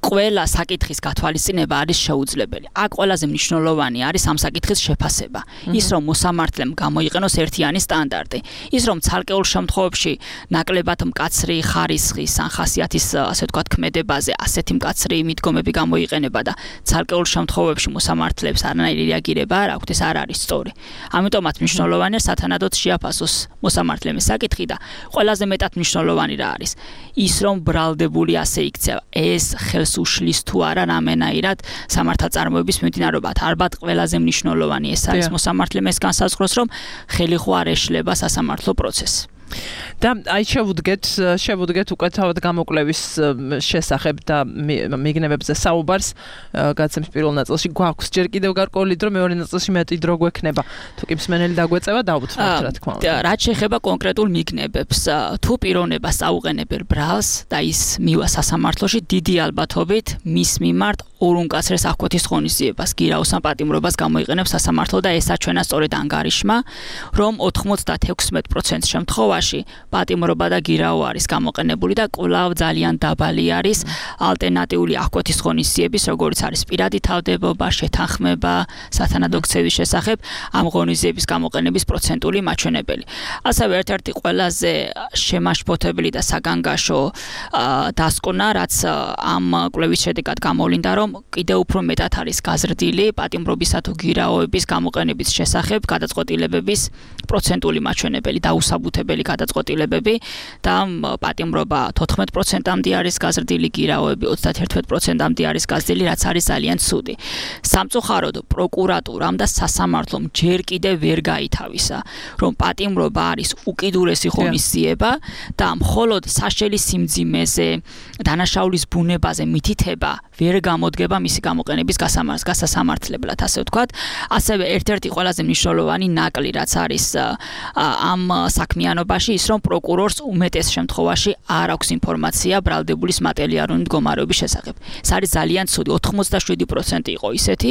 ყველა საკითხის გათვალისწინება არის შეუძლებელი. აქ ყველაზე მნიშვნელოვანი არის ამ საკითხის შეფასება. ის რომ მოსამართლემ გამოიყენოს ერთიანი სტანდარტი. ის რომ ცალკეულ შემთხვევებში ნაკლებად მკაცრი ხარისხის ან ხასიათის ასე ვთქვათ ქმედებაზე ასეთი მკაცრი მიდგომები გამოიყენება და ცალკეულ შემთხვევებში მოსამართლეებს არანაირი რეაგირება არ აქვთ, ეს არ არის სწორი. ამიტომაც მნიშვნელოვანია სათანადოდ შეაფასოს მოსამართლემ საკითხი და ყველაზე მეტად მნიშვნელოვანი რა არის? ის რომ ბრალდებული ასე იქცევა. ეს ხელს უშლის თუ არა რამენაირად სამართალწარმოების მიმდინარეობად. ალბათ ყველაზე მნიშვნელოვანი ეს არის მოსამართლემ ეს განსაზღვროს, რომ ხელი ხო არ ეშლება სასამართლო პროცესს. და აი შევუდგეთ უკვე თავად გამოკვლევის შესახებ და მიგნებებზე საუბარს გაცემს პირველ ნაწილში გვაქვს ჯერ კიდევ გარკვეული დრო მეორე ნაწილში მეტი დრო გვექნება თუ კი მსმენელი დაგვეწევა დაუცნობთ რა თქმა უნდა რაც შეეხება კონკრეტულ მიგნებებს თუ პიროვნებას აუყენებენ ბრალს და ის მივა სასამართლოში დიდი ალბათობით მის მიმართ ორუნკაცრეს აღკვეთის ღონისძიებას გირაოს ან პატიმრობას გამოიყენებს სასამართლო და ესაც ჩვენას სწორედ ანგარიშმა რომ 96% შემთხვევაში პატიმრობა და გირაო არის გამოყენებული და კვლავ ძალიან დაბალი არის ალტერნატიული აღკვეთის ღონისძიების როგორც არის პირადი თავდებობა, შეთანხმება, სათანადო ქცევის შესახებ ამ ღონისძიების გამოყენების პროცენტული მაჩვენებელი. ასევე ერთ-ერთი ყველაზე შემაშფოთებელი და საგანგაშო დასკვნა, რაც ამ კვლევის შედეგად გამოვლინდა, რომ კიდევ უფრო მეტად არის გაზრდილი პატიმრობისა თუ გირაოების გამოყენების შესახებ გადაწყვეტილებების პროცენტული მაჩვენებელი, დაუსაბუთებელი გადაწყვეტილებები და პატიმრობა 14%-მდე არის გაზრდილი, გირაოები 31%-მდე არის გაზრდილი, რაც არის ძალიან ცუდი. სამწუხაროდ პროკურატურამ და სასამართლომ ჯერ კიდევ ვერ გაითავისა, რომ პატიმრობა არის უკიდურესი ღონისძიება და მხოლოდ საშელი სიმძიმეზე, დანაშაულის ბუნებაზე მითითება ვერ გამოდგება მისი გამოყენების გასასამართლებლად, ასე ვთქვათ. ასევე ერთ-ერთი ყველაზე მნიშვნელოვანი ნაკლი, რაც არის ამ საქმიანობაში, ის რომ პროკურორს უმეტეს შემთხვევაში არ აქვს ინფორმაცია ბრალდებულის მატერიალური მდგომარეობის შესახებ. ეს არის ძალიან ცუდი, 87% იყო ისეთი,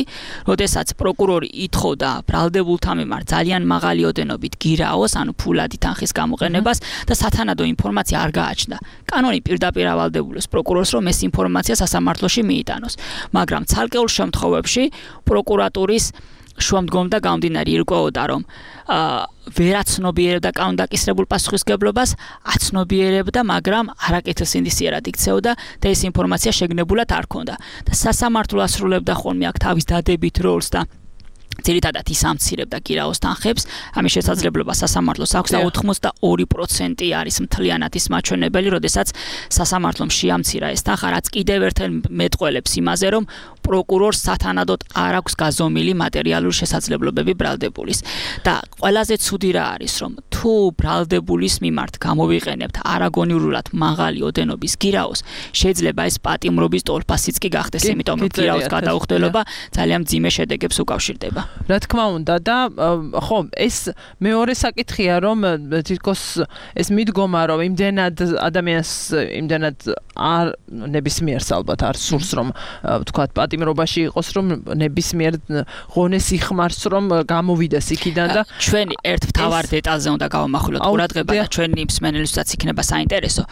როდესაც პროკურორი ითხოვდა ბრალდებულთა მიმართ ძალიან მაღალი ოდენობით გირაოს, ანუ ფულადი თანხის გამოყენებას და სათანადო ინფორმაცია არ გააჩნდა. კანონი პირდაპირ ავალდებულებს პროკურორს, რომ ეს ინფორმაცია სასამართლოში მიიტანოს, მაგრამ ცალკეულ შემთხვევებში პროკურატურის შუამდგომდა გამომდინარე ირკვეოდა, რომ ვერაცნობიერებდა კანონდაკისრებულ პასუხისმგებლობას, აცნობიერებდა, მაგრამ არაკეთილ სინდისიერად იქცეოდა და ეს ინფორმაცია შეგნებულად არ ქონდა. და სასამართლო ასრულებდა ხოლმე აქ თავის დადებით როლს და ძირითადად ის ამცირებდა გირაოს თანხებს, ამის შესაძლებლობა სასამართლოს აქვს და 82% არის მთლიანად ის მაჩვენებელი, როდესაც სასამართლომ შეამცირა ეს თანხა, რაც კიდევ ერთხელ მეტყველებს იმაზე, რომ პროკურორს სათანადოდ არ აქვს გაზომილი მატერიალური შესაძლებლობები ბრალდებულის. და ყველაზე ცუდი რა არის, რომ თუ ბრალდებულის მიმართ გამოვიყენებთ არაგონიურად მაღალი ოდენობის გირაოს, შეიძლება ეს პატიმრობის ტოლფასიც კი გახდეს, იმიტომ რომ გირაოს გადაუხდელობა ძალიან მძიმე შედეგებს უკავშირდება. რა თქმა უნდა და ხო ეს მეორე საკითხია რომ თითქოს ეს მიდგომა რომ იმდენად ადამიანს იმდენად არ ნებისმიერს ალბათ არ სურს რომ ვთქვათ პატიმრობაში იყოს რომ ნებისმიერ ღონეს იხმარს რომ გამოვიდეს იქიდან და ჩვენი ერთ მთავარ დეტალზე უნდა გავამახვილოთ ყურადღება და ჩვენი მსმენელისთვისაც იქნება საინტერესო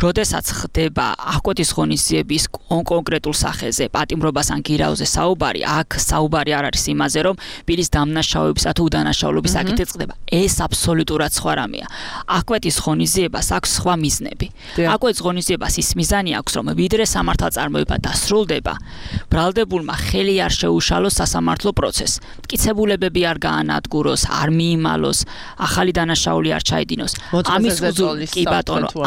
როდესაც ხდება აღკვეთის ღონისძიების კონკრეტულ სახეზე პატიმრობას ან გირაოზე საუბარი აქ საუბარი არ არის იმაზე რომ პირის დამნაშავებისა თუ უდანაშაულობის საკითხი წყდება. ეს აბსოლუტურად სხვა რამეა. აღკვეთის ღონისძიებას აქვს სხვა მიზნები. აღკვეთის ღონისძიებას ის მიზანი აქვს, რომ ვიდრე სამართალწარმოება დასრულდება, ბრალდებულმა ხელი არ შეუშალოს სასამართლო პროცესს. მტკიცებულებები არ გაანადგუროს, არ მიიმალოს, ახალი დანაშაული არ ჩაიდინოს.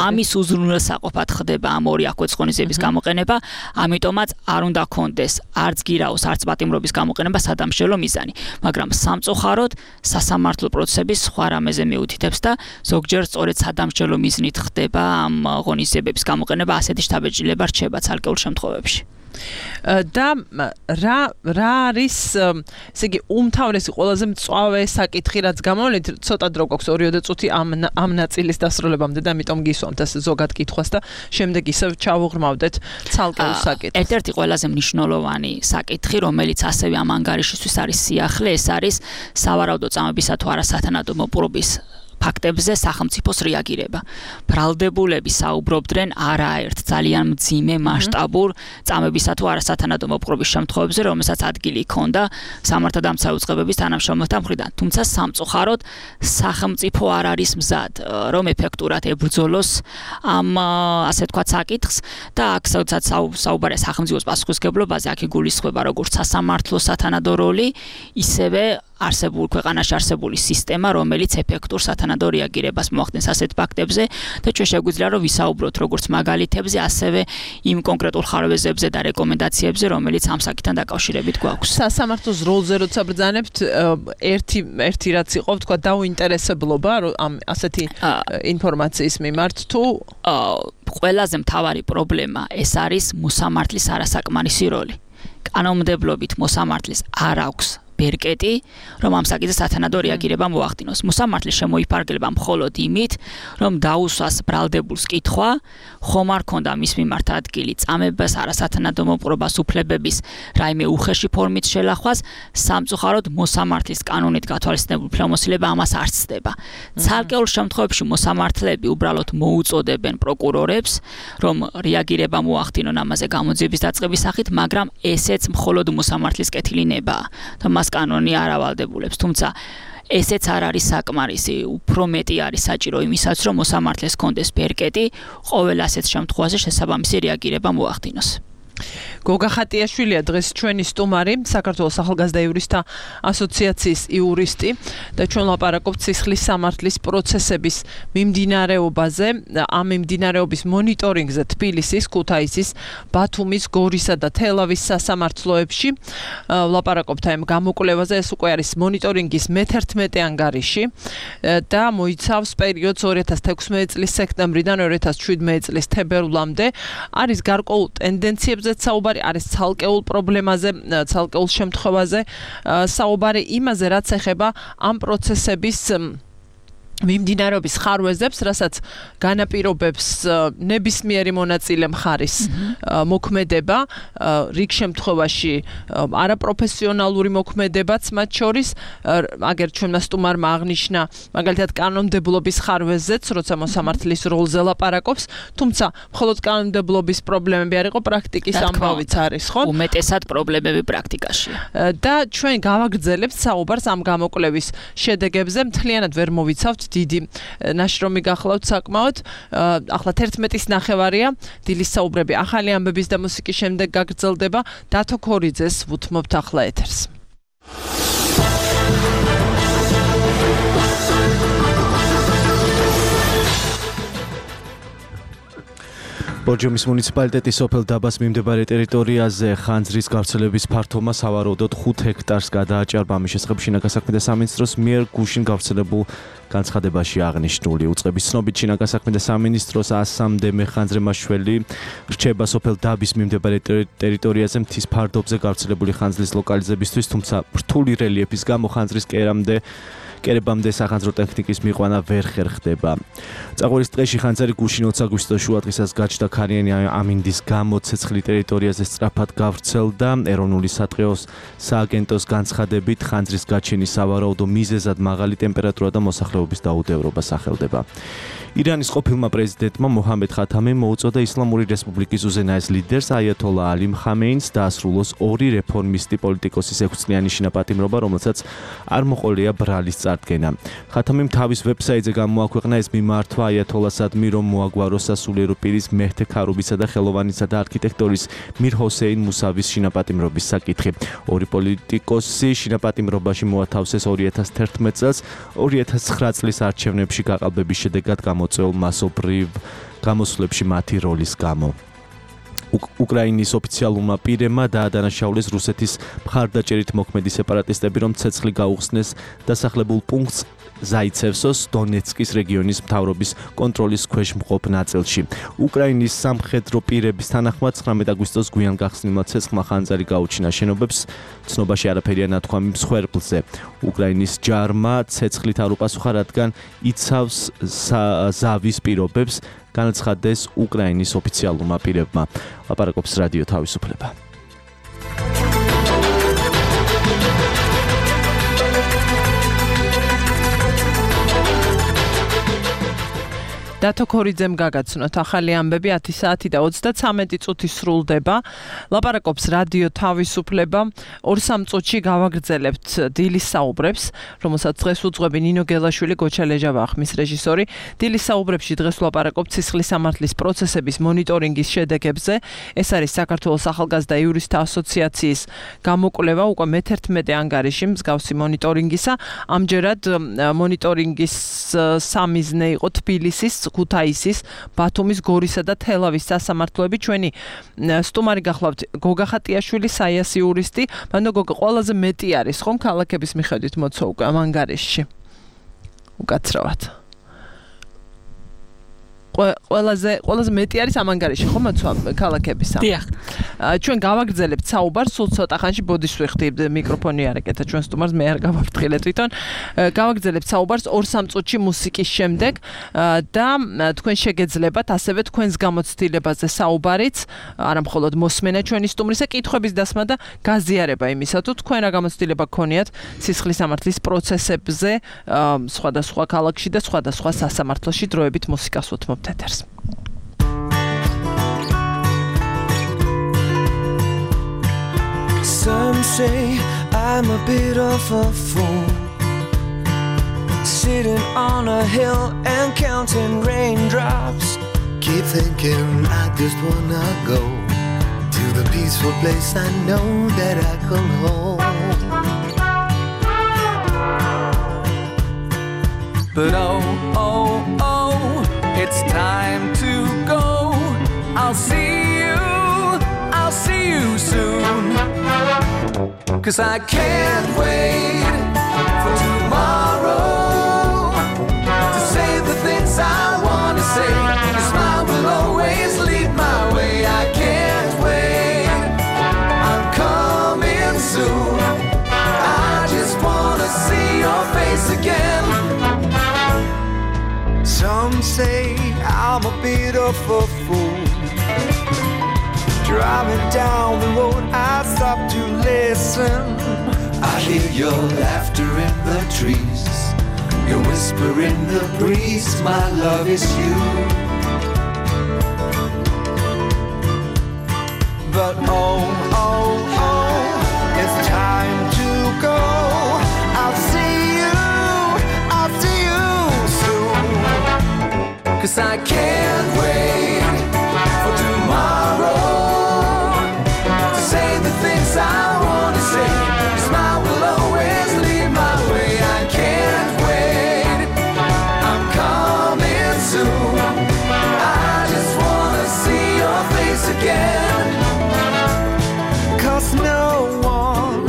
ამის უზრუნველსაყოფად ხდება ამ ორი აღკვეთის ღონისძიების გამოყენება, ამიტომაც არ უნდა ქონდეს არც გირაოს, არც პატიმრობის გამოყენება სადამშველო მიზანი. მაგრამ სამწუხაროდ სასამართლო პროცესების სხვა რამეზე მიუთითებს და ზოგჯერ სწორედ სადამსჯელო მიზნით ხდება ამ ღონისძიებების გამოყენება, ასეთი შთაბეჭდილება რჩება ცალკეულ შემთხვევებში. და რა არის ესე იგი უმთავრესი ყველაზე მწვავე საკითხი რაც გამოვლინეთ ცოტა დრო გვაქვს 2 წუთი ამ ნაწილის დასრულებამდე და ამიტომ გისვამთ ეს ზოგად კითხვას და შემდეგ ისევ ჩავუღრმავდეთ ცალკეულ საკითხს. ერთ-ერთი ყველაზე მნიშვნელოვანი საკითხი რომელიც ასევე ამ ანგარიშისთვის არის სიახლე ეს არის სავარაუდო წამებისა თუ არასათანადო მოპყრობის ფაქტებზე სახელმწიფოს რეაგირება. ბრალდებულები საუბრობდნენ არაერთ ძალიან მძიმე მასშტაბურ წამებისა თუ არასათანადო მოპყრობის შემთხვევებზე, რომელსაც ადგილი ჰქონდა სამართალდამცავი უწყებების თანამშრომელთა მხრიდან. თუმცა სამწუხაროდ სახელმწიფო არ არის მზად, რომ ეფექტურად ებრძოლოს ამ ასე ვთქვათ საკითხს და აქ სადაც საუბარია სახელმწიფოს პასუხისმგებლობაზე, აქ იგულისხმება როგორც სასამართლო სათანადო როლი, ისევე ქვეყანაში არსებული სისტემა, რომელიც ეფექტურ სათანადო რეაგირებას მოახდენს ასეთ ფაქტებზე და ჩვენ შეგვიძლია რომ ვისაუბროთ როგორც მაგალითებზე, ასევე იმ კონკრეტულ ხარვეზებზე და რეკომენდაციებზე, რომელიც ამ საკითხთან დაკავშირებით გვაქვს. სასამართლოს როლზე როცა ბრძანებთ, ერთი რაც იყო, თქვა დაუინტერესებლობა ამ ასეთი ინფორმაციის მიმართ თუ ყველაზე მთავარი პრობლემა ეს არის მოსამართლის არასაკმარისი როლი. კანონმდებლობით მოსამართლის არ აქვს ბერკეტი, რომ ამ საკითხზე სათანადო რეაგირება მოახდინოს. მოსამართლე შემოიფარგლება მხოლოდ იმით, რომ დაუსვას ბრალდებულს კითხვა, ხომ არ ქონდა მის მიმართ ადგილი წამებას, არასათანადო მოპყრობას, უფლებების რაიმე უხეში ფორმით შელახვას, სამწუხაროდ მოსამართლის კანონით გათვალისწინებული უფლებამოსილება ამას არ ცდება. ცალკეულ შემთხვევებში მოსამართლეები უბრალოდ მოუწოდებენ პროკურორებს, რომ რეაგირება მოახდინონ ამაზე გამოძიების დაწყების სახით, მაგრამ ესეც მხოლოდ მოსამართლის კეთილი ნებაა. და მას კანონი არ ავალდებულებს, თუმცა ესეც არ არის საკმარისი, უფრო მეტი არის საჭირო იმისაც, რომ მოსამართლეს კონდეს ბერკეტი, ყოველ ასეთ შემთხვევაში შესაბამისი რეაგირება მოახდინოს. გოგა ხატიაშვილია დღეს ჩვენი სტუმარი, საქართველოს ახალგაზრდა იურისტთა ასოციაციის იურისტი და ჩვენ ლაპარაკობთ სისხლის სამართლის პროცესების მიმდინარეობაზე, ამ მიმდინარეობის მონიტორინგზე თბილისის, ქუთაისის, ბათუმის, გორისა და თელავის სასამართლოებში. ლაპარაკობთ ამ გამოკვლევაზე, ეს უკვე არის მონიტორინგის მე-11 ანგარიში და მოიცავს პერიოდს 2016 წლის სექტემბრიდან 2017 წლის თებერვლამდე. არის გარკვეულ ტენდენციებზე საუბარი, არის ცალკეულ პრობლემაზე, ცალკეულ შემთხვევაზე საუბარი, იმაზე რაც ეხება ამ პროცესების მიმდინარეობის ხარვეზებს, რასაც განაპირობებს ნებისმიერი მონაწილე მხარის მოქმედება, რიგ შემთხვევაში არაპროფესიონალური მოქმედებაც მათ შორის, აგერ ჩვენმა სტუმარმა აღნიშნა, მაგალითად კანონმდებლობის ხარვეზზეც, როცა მოსამართლის როლზე ლაპარაკობს, თუმცა მხოლოდ კანონმდებლობის პრობლემები არ იყო, პრაქტიკის ამბავიც არის, ხო? უმეტესად პრობლემები პრაქტიკაშია. და ჩვენ გავაგრძელებთ საუბარს ამ გამოკვლევის შედეგებზე, მთლიანად ვერ მოვიცავთ, დიდი ნაშრომი გახლავთ საკმაოდ. ახლა 11-ის ნახევარია, დილის საუბრები ახალი ამბების და მუსიკის შემდეგ გაგრძელდება. დათო ქორიძეს ვუთმობთ ახლა ეთერს. ბორჯომის მუნიციპალიტეტის სოფელ დაბას მიმდებარე ტერიტორიაზე ხანძრის გავრცელების ფართობა სავარაუდოდ 5 ჰექტარს გადააჭარბა. ამის შესახებ შინაგან საქმეთა სამინისტროს მიერ გუშინ გავრცელებულ განცხადებაში აღნიშნული. უწყების ცნობით შინაგან საქმეთა სამინისტროს 103 მეხანძრემაშველი რჩება სოფელ დაბის მიმდებარე ტერიტორიაზე მთის ფარდობზე გავრცელებული ხანძრის ლოკალიზებისთვის, თუმცა რთული რელიეფის გამო ხანძრის კერებამდე სახანძრო ტექნიკის მიყვანა ვერ ხერხდება. წაღვერის ტყეში ხანძარი გუშინ 20 აგვისტოს შუადღისას გაჩნდა ქარიანი ამინდის გამო ცეცხლი ტერიტორიაზე სწრაფად გავრცელდა. ეროვნული სატყეოს სააგენტოს განცხადებით ხანძრის გაჩენის სავარაუდო მიზეზად მაღალი ტემპერატურა და მოსახლეობის დაუდევრობა სახელდება. ირანის ყოფილმა პრეზიდენტმა მოჰამედ ხათამიმ მოუწოდა ისლამური რესპუბლიკის უზენაეს ლიდერს აიათოლა ალი ხამეინს დაასრულოს 2 რეფორმისტი პოლიტიკოსის 6 წლიანი შინაპატიმრობა, რომელსაც არ მოყოლია ბრალის წარდგენა. ხათამიმ თავის ვებსაიტზე გამოაქვეყნა ეს მიმართვა აიათოლასადმი, რომ მოაგვაროს სასულიერო პირის მეჰდე ქარუბისა და ხელოვანისა და არქიტექტორის მիր ჰოსეინ მუსავის შინაპატიმრობის საკითხი. 2 პოლიტიკოსი შინაპატიმრობაში მოათავსეს 2011 წელს 2009 წლის არჩევნებში გაყალბების შედეგად წელ მასობრივ გამოსვლებში მათი როლის გამო. უკრაინის ოფიციალურმა პირებმა დაადანაშაულეს რუსეთის მხარდაჭერით მოქმედი სეპარატისტები, რომ ცეცხლი გაუხსნეს დასახლებულ პუნქტს ზაიცევსოს დონეცკის რეგიონის მთავრობის კონტროლის ქვეშ მყოფ ნაწილში. უკრაინის სამხედრო პირების თანახმად 19 აგვისტოს გვიან გახსნილმა ცეცხლმა ხანძარი გაუჩინა შენობებს, ცნობაში არაფერია ნათქვამი მსხვერპლზე. უკრაინის ჯარმა ცეცხლით არ უპასუხა, რადგან იცავს ზავის პირობებს, განაცხადეს უკრაინის ოფიციალურმა პირებმა. ლაპარაკობს რადიო თავისუფლება. დათო ქორიძემ გაგაცნოთ ახალი ამბები 10 საათი და 33 წუთი სრულდება. ლაპარაკობს რადიო თავისუფლება. 2-3 წუთში გავაგრძელებთ დილის საუბრებს, რომელსაც დღეს უძღვები ნინო გელაშვილი, გოჩა ლეჟავა ხმის რეჟისორი. დილის საუბრებში დღეს ვლაპარაკობთ სისხლის სამართლის პროცესების მონიტორინგის შედეგებზე. ეს არის საქართველოს ახალგაზრდა იურისტთა ასოციაციის გამოკვლევა უკვე მე-11 ანგარიში მსგავსი მონიტორინგისა. ამჯერად მონიტორინგის სამიზნე იყო თბილისის, ქუთაისის, ბათუმის, გორისა და თელავის სასამართლოები. ჩვენი სტუმარი გახლავთ გოგა ხატიაშვილი, საიასი იურისტი. მანდ გოგა ყველაზე მეტი არის ხომ ქალაქების მიხედვით მოცვა უკვე ამ ანგარიშში. უკაცრავად. ყველაზე მეტი არის ამ ანგარიში ხომ მოცვა ქალაქებისა. დიახ. ჩვენ გავაგრძელებთ საუბარს, სულ ცოტა ხანში ბოდიშ ვიხდი მიკროფონი არ ეკეთა ჩვენ სტუმარს, მე არ გავაფრთხილე თვითონ. გავაგრძელებთ საუბარს 2-3 წუთში მუსიკის შემდეგ და თქვენ შეგეძლებათ ასევე თქვენს გამოცდილებაზე საუბარიც, არა მხოლოდ მოსმენა ჩვენი სტუმრისა, კითხვების დასმა და გაზიარება იმისა, თუ თქვენ რა გამოცდილება გქონიათ სისხლის სამართლის პროცესებზე სხვადასხვა ქალაქში და სხვადასხვა სასამართლოში დროებით მუსიკას უთმობთ ეთერს. Some say I'm a bit of a fool, sitting on a hill and counting raindrops. Keep thinking I just wanna go to the peaceful place I know that I call home. But oh, it's time to go. I'll see you soon. 'Cause I can't wait for tomorrow to say the things I wanna say. Your smile will always lead my way. I can't wait, I'm coming soon. I just wanna see your face again. Some say I'm a bit of a fool, driving down the road I stop to listen. I hear your laughter in the trees, your whisper in the breeze. My love is you. But oh, it's time to go. I'll see you soon. 'Cause I can't wait for tomorrow to say the things I wanna say. Your smile will always lead my way. I can't wait, I'm coming soon. I just wanna see your face again. 'Cause no one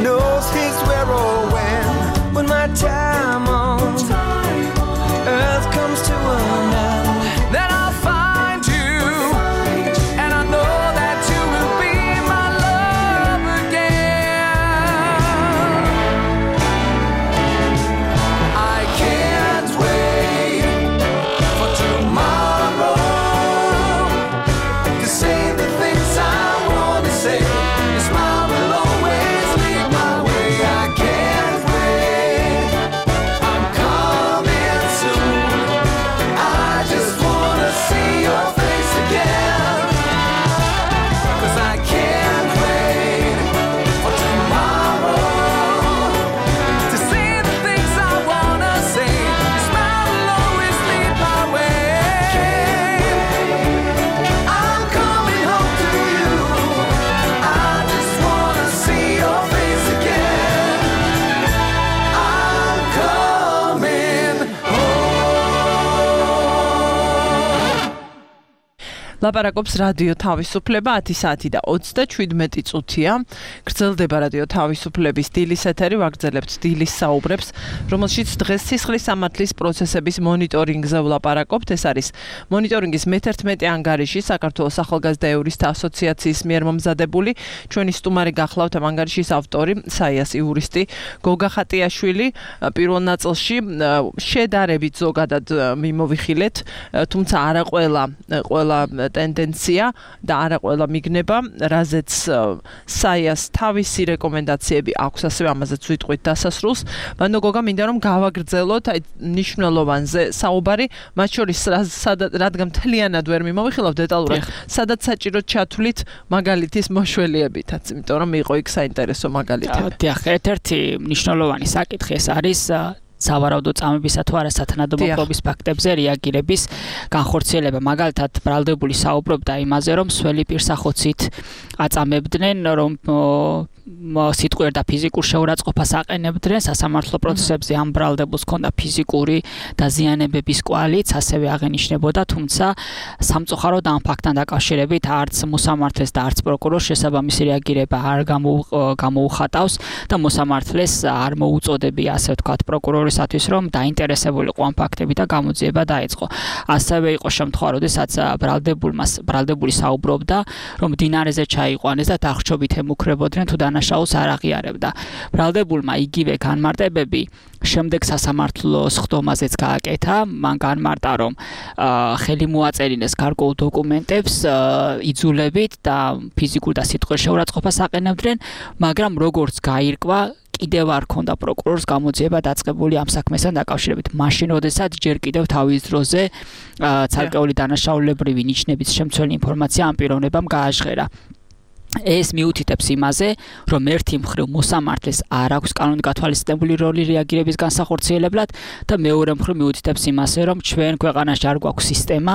knows his where or when my time on earth comes to an end, then I'll find you, and I know that you will be my love again. I can't wait for tomorrow to say the things I wanna say. Your smile will always lead my way. I can't wait, I'm coming soon. I just wanna see your face again. 'Cause I can't wait for tomorrow to say the things I wanna say. Your smile will always lead my way. I'm coming home to you. I just wanna see your face again. I'm coming home. ლაპარაკობს რადიო თავისუფლება 10 საათი და 37 წუთია. გრძელდება რადიო თავისუფლების დილის ეთერი, ვაგრძელებთ დილის საუბრებს, რომელშიც დღეს სისხლის სამართლის პროცესების მონიტორინგზე ვლაპარაკობთ. ეს არის მონიტორინგის მე-11 ანგარიში საქართველოს ახალგაზრდა იურისტთა ასოციაციის მიერ მომზადებული. ჩვენი სტუმარი გახლავთ ამ ანგარიშის ავტორი, საიასი იურისტი გოგა ხატიაშვილი. პირველ ნაწილში შედარებით ზოგადად მიმოვიხილეთ, თუმცა არა ყველა ტენდენცია და არა ყველა მიგნება, რაზეც საიას თავისი რეკომენდაციები აქვს, ასევე ამაზეც ვიტყვით დასასრულს. ბანდო გოგა, მინდა რომ გავაგრძელოთ აი მნიშვნელოვანზე საუბარი, მათ შორის რადგან მთლიანად ვერ მიმოვიხილავ დეტალურად, სადაც საჭიროდ ჩათვლით მაგალითის მოშველიებითაც, იმიტომ რომ იყო იქ საინტერესო მაგალითები. დიახ, ერთ-ერთი მნიშვნელოვანი საკითხი ეს არის სავარაუდო წამებისა თუ არა სათანადო მოპყრობის ფაქტებზე რეაგირების განხორციელება. მაგალითად, ბრალდებული საუბრობდა იმაზე, რომ სველი პირსახოცით აწამებდნენ, რომ სიტყვიერ და ფიზიკურ შეურაცხყოფას აყენებდნენ სასამართლო პროცესებზე. ამ ბრალდებულს ჰქონდა ფიზიკური დაზიანებების კვალიც, ასევე აღენიშნებოდა, თუმცა სამწუხაროდ ამ ფაქტთან დაკავშირებით არც მოსამართლეს და არც პროკურორს შესაბამისი რეაგირება არ გამოუხატავს და მოსამართლეს არ მოუწოდებია, ასე ვთქვათ, პროკურორისათვის, რომ დაინტერესებულიყო ამ ფაქტებით და გამოძიება დაეწყო. ასევე იყო შემთხვევა, როდესაც ბრალდებული საუბრობდა, რომ მდინარეზე ჩაიყვანეს და დახშობით ემუქრებოდნენ თუ დანაშაულს არ აღიარებდა. ბრალდებულმა იგივე განმარტებები შემდეგ სასამართლოს ხდომაზეც გააკეთა. მან განმარტა, რომ ხელი მოაწერინეს გარკვეულ დოკუმენტებს იძულებით და ფიზიკურ და სიტყვიერ შეურაცხყოფას აყენებდნენ, მაგრამ როგორც გაირკვა, კიდევ არ ქონდა პროკურორს გამოძიება დაწყებული ამ საქმესთან დაკავშირებით. მაშინ, როდესაც ჯერ კიდევ თავის დროზე ცალკეული დანაშაულებრივი ნიშნების შემცველი ინფორმაცია ამ პიროვნებამ გააჟღერა. ეს მიუთითებს იმაზე, რომ ერთი მხრივ მოსამართლეს არ აქვს კანონით გათვალისწინებული როლი რეაგირების განსახორციელებლად და მეორე მხრივ მიუთითებს იმაზე, რომ ჩვენ ქვეყანაში არ გვაქვს სისტემა,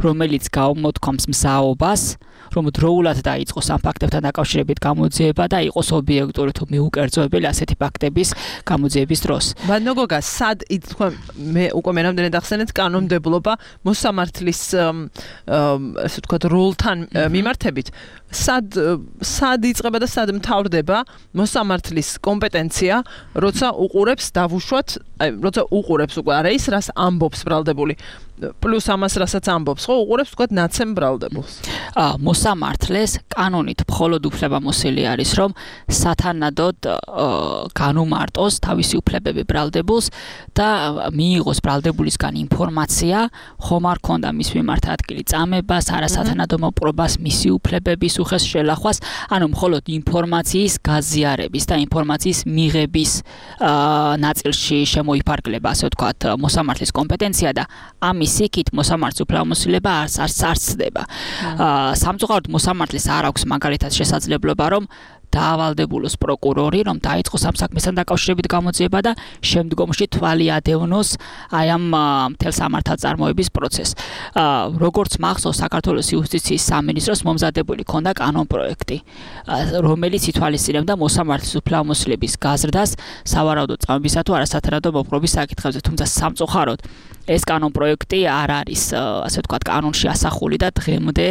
რომელიც გამოთქვამს მზაობას, რომ დროულად დაიწყოს ამ ფაქტებთან დაკავშირებით გამოძიება და იყოს ობიექტური თუ მიუკერძოებელი ასეთი ფაქტების გამოძიების დროს. ბანდო გოგა, სად ითქვა, მე უკვე მერამდენად ახსენეთ, კანონმდებლობა მოსამართლის ასე ვთქვათ როლთან მიმართებით, სად იწყება და სად მთავრდება მოსამართლის კომპეტენცია, როცა უყურებს დავუშვათ, როცა უყურებს უკვე არა ის, რას ამბობს ბრალდებული, პლუს ამას რასაც ამბობს, ხო, უყურებს ვთქვათ ნაცემ ბრალდებულს. მოსამართლეს კანონით მხოლოდ უფლება მოსილი არის, რომ სათანადოდ განუმარტოს თავისი უფლებები ბრალდებულს და მიიღოს ბრალდებულისგან ინფორმაცია, ხომ არ ქონდა მის მიმართ ადგილი წამებას, არასათანადო მოპყრობას, მისი უფლებების უხეს შელახვას, ანუ მხოლოდ ინფორმაციის გაზიარების და ინფორმაციის მიღების ნაწილში შემოიფარგლება, ასე ვთქვათ, მოსამართლის კომპეტენცია და ამის იქით მოსამართლის უფლებამოსილება არ სცდება. სამწუხაროდ მოსამართლის არ აქვს მაგალითად შესაძლებლობა, რომ დაავალდებულოს პროკურორი, რომ დაიწყოს ამ საქმესთან დაკავშირებით გამოძიება და შემდგომში თვალი ადევნოს აი ამ მთელ სამართალწარმოების პროცესს. როგორც მახსოვს, საქართველოს იუსტიციის სამინისტროს მომზადებული ქონდა კანონპროექტი, რომელიც ითვალისწინებდა მოსამართლის უფლებამოსილების გაზრდას სავარაუდო წამებისა თუ არასათანადო მოპყრობის საკითხებზე, თუმცა სამწუხაროდ ეს კანონპროექტი არ არის, ასე ვთქვათ, კანონში ასახული და დღემდე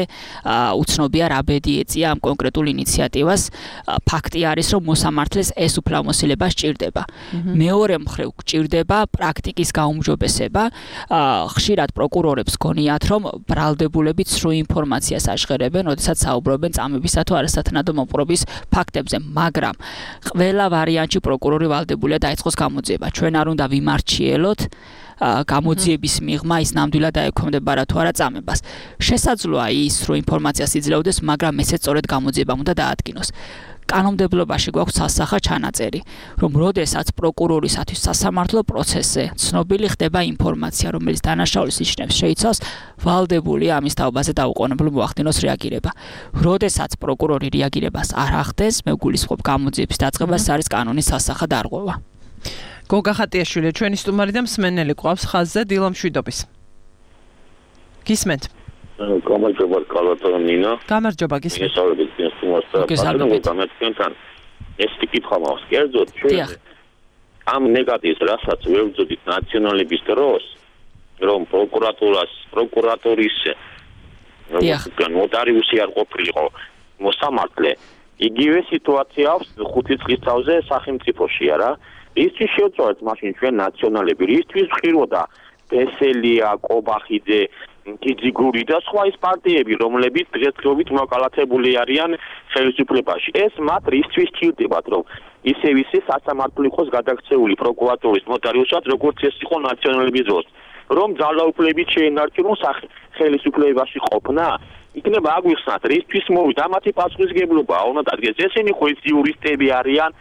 უცნობია რა ბედი ეწია ამ კონკრეტულ ინიციატივას. ფაქტი არის, რომ მოსამართლეს ეს უფლებამოსილება სჭირდება. მეორე მხრივ გჭირდება პრაქტიკის გაუმჯობესება. ხშირად პროკურორებს გონიათ, რომ ბრალდებულები ცრუ ინფორმაციას აშღერებენ, როდესაც საუბრობენ წამებისა თუ არასათანადო მოპყრობის ფაქტებზე, მაგრამ ყველა ვარიანტში პროკურორი ვალდებულია დაიწყოს გამოძიება. ჩვენ არ უნდა ვიმარჩიელოთ გამოძიების მიღმა ის ნამდვილად დაექვემდებარა თუ არა წამებას. შესაძლოა ის რომ ინფორმაციას იძლეოდეს, მაგრამ ესეც სწორედ გამოძიებამ უნდა დაადგინოს. კანონმდებლობაში გვაქვს სასახა ჩანაწერი, რომ როდესაც პროკურორისათვის სასამართლო პროცესზე ცნობილი ხდება ინფორმაცია, რომელიც დანაშაულის ნიშნებს შეიცავს, ვალდებული ამის თაობაზე დაუყოვნებლივ მოახდინოს რეაგირება. როდესაც პროკურორი რეაგირებას არ ახდენს, მე გულისხმობ გამოძიების დაწყებას, არის კანონის სასახა დარღვევა. გოგა ხატიაშვილი, ჩვენი სტუმარი და მსმენელი ყავს ხაზზე დილა მშვიდობის. გისმენთ? გამარჯობა, კალათო ნინა. გამარჯობა, გისმენთ. გესალმებით, სტუმარს და გამეთქენთან. ეს კითხვა მაქვს, კერძოდ ჩვენ ამ ნეგატივს, რასაც ვებრძოდით ნაციონალების დროს, რომ პროკურატურის ნოტარიუსი არ ყოფილიყო მოსამართლე, იგივე სიტუაცია აქვს 5 წლის თავზე სახელმწიფოში, არა? ისთვის შევწავეთ მაშინ ჩვენ ნაციონალები, ისთვის ხიროდა ბესელია, კობახიძე, კიძიგური და სხვა ის პარტიები, რომლებიც დღესდღეობით მოკალათებული არიან ხელისუფლებაში. ეს მათ ისთვის სჭირდებათ, რომ ისევ სასამართლო იყოს გადაქცეული პროკურატურის ნოტარიუსად, როგორც ეს იყო ნაციონალების დროს. რომ ძალაუფლებით შეენარჩუნოს ხელისუფლებაში ყოფნა, იქნება აგვიხსნათ, რისთვის მოვიდა მათი პასუხისგებლობა, უნდა დადგეს. ესენი ხო ის იურისტები არიან,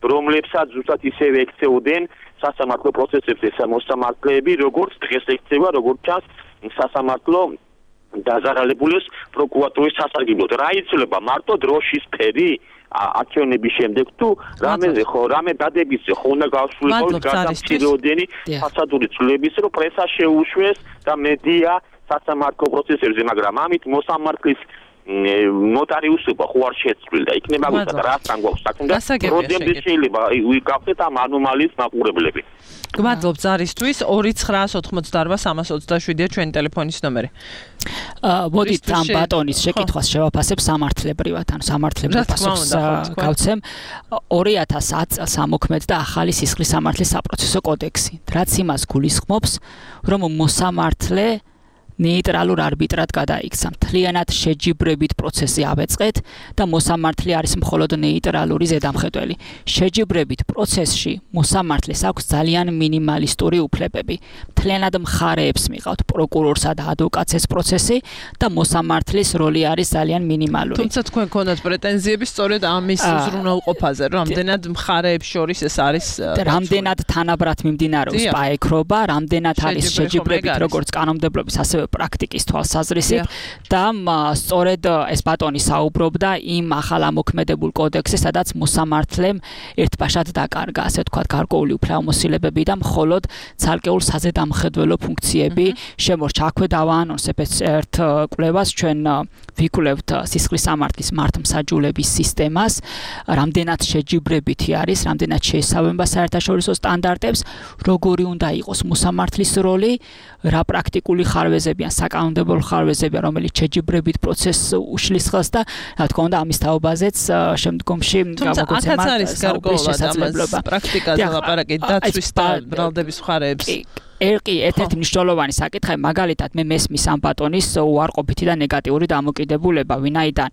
რომლებსაც ზუსტად ისევე ექცეოდენ სასამართლო პროცესებზე მოსამართლეები, როგორც დღეს ექცევა, როგორც ჩანს სასამართლო დაზარალებულის პროკურატურის სასარგებლოდ. რა იცვლება მარტო დროშის ფერი არჩევნების შემდეგ თუ რამეზე ხო რამე დადებისზე ხო უნდა გავსულიყო გადამცირეოდენი ფასადური ცვლილების რომ პრესა შეუშვეს და მედია სასამართლო პროცესებზე, მაგრამ ამით მოსამართლის ნოტარიუსობა ხო არ შეცვლილ და იქნება გვითა რასთან გვაქვს საქმე და პრობლემები შეიძლება ვიკავდეთ ამ ანომალიის მაყურებლები. გმადლობ ზარისთვის 2988327-ია ჩვენი ტელეფონის ნომერი. მოდით ამ ბატონის შეკითხვას შევაფასებ სამართლებრივად, ანუ სამართლებრივ პასუხს გავცემ. 2010 წელს ამოქმედდა ახალი სისხლის სამართლის საპროცესო კოდექსი, რაც იმას გულისხმობს, რომ მოსამართლე ნეიტრალურ არბიტრად გადაიქცა. მთლიანად შეჯიბრებით პროცესი ავეწყეთ და მოსამართლე არის მხოლოდ ნეიტრალური ზედამხედველი. შეჯიბრებით პროცესში მოსამართლეს აქვს ძალიან მინიმალისტური უფლებები. მთლიანად მხარეებს მიყავთ პროკურორსა და ადვოკატს ეს პროცესი და მოსამართლის როლი არის ძალიან მინიმალური. თუმცა თქვენ გქონდათ პრეტენზიები სწორედ ამის უზრუნველყოფაზე, რომ რამდენად მხარეებს შორის ეს არის რამდენად თანაბრად მიმდინარეობს პაექრობა, რამდენად არის შეჯიბრებით როგორც კანონმდებლობის ასევე პრაქტიკის თვალსაზრისით და სწორედ ეს ბატონი საუბრობდა იმ ახალ ამოქმედებულ კოდექსზე, სადაც მოსამართლემ ერთბაშად დაკარგა, ასე ვთქვათ, გარკვეული უფლებამოსილებები და მხოლოდ ცალკეულ საზედამხედველო ფუნქციები შემორჩა. აქვე დავაანონსებ ერთ კვლევას, ჩვენ ვიკვლევთ სისხლის სამართლის მართლმსაჯულების სისტემას, რამდენად შეჯიბრებითი არის, რამდენად შეესაბამება საერთაშორისო სტანდარტებს, როგორი უნდა იყოს მოსამართლის როლი, რა პრაქტიკული ხარვეზებია, საკანონმდებლო ხარვეზებია, რომელიც შეჯიბრებით პროცესს უშლის ხელს და რა თქმა უნდა ამის თაობაზეც შემდგომში გამოგოცემა შესაძლებლობა. პრაქტიკაზე ლაპარაკი დაცვის და ბრალდების მხარეებს. ერთ-ერთი მნიშვნელოვანი საკითხი, მაგალითად მე მესმის ამ ბატონის უარყოფითი და ნეგატიური დამოკიდებულება, ვინაიდან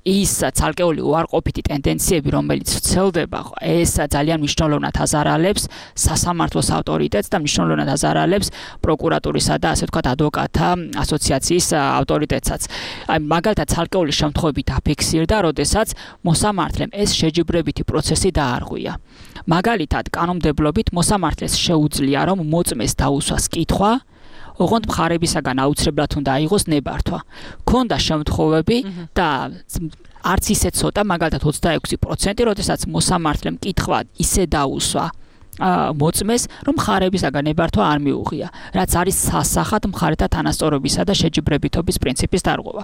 ის ცალკეული უარყოფითი ტენდენციები, რომელიც ვრცელდება, ეს ძალიან მნიშვნელოვნად აზარალებს სასამართლოს ავტორიტეტს და მნიშვნელოვნად აზარალებს პროკურატურისა და ასე ვთქვათ ადვოკატთა ასოციაციის ავტორიტეტსაც. მაგალითად ცალკეული შემთხვევები დაფიქსირდა, როდესაც მოსამართლემ ეს შეჯიბრებითი პროცესი დაარღვია. მაგალითად, კანონმდებლობით მოსამართლეს შეუძლია, რომ მოწმეს დაუსვას კითხვა, ოღონდ მხარებისაგან აუცილებლად უნდა აიღოს ნებართვა. ქონდა შემთხვევები და არც ისე ცოტა, მაგალითად 26%, როდესაც მოსამართლემ კითხვა ისე დაუსვა მოწმეს, რომ მხარებისაგან ნებართვა არ მიუღია, რაც არის სასახად მხარეთა თანასწორობისა და შეჯიბრებითობის პრინციპის დარღვევა.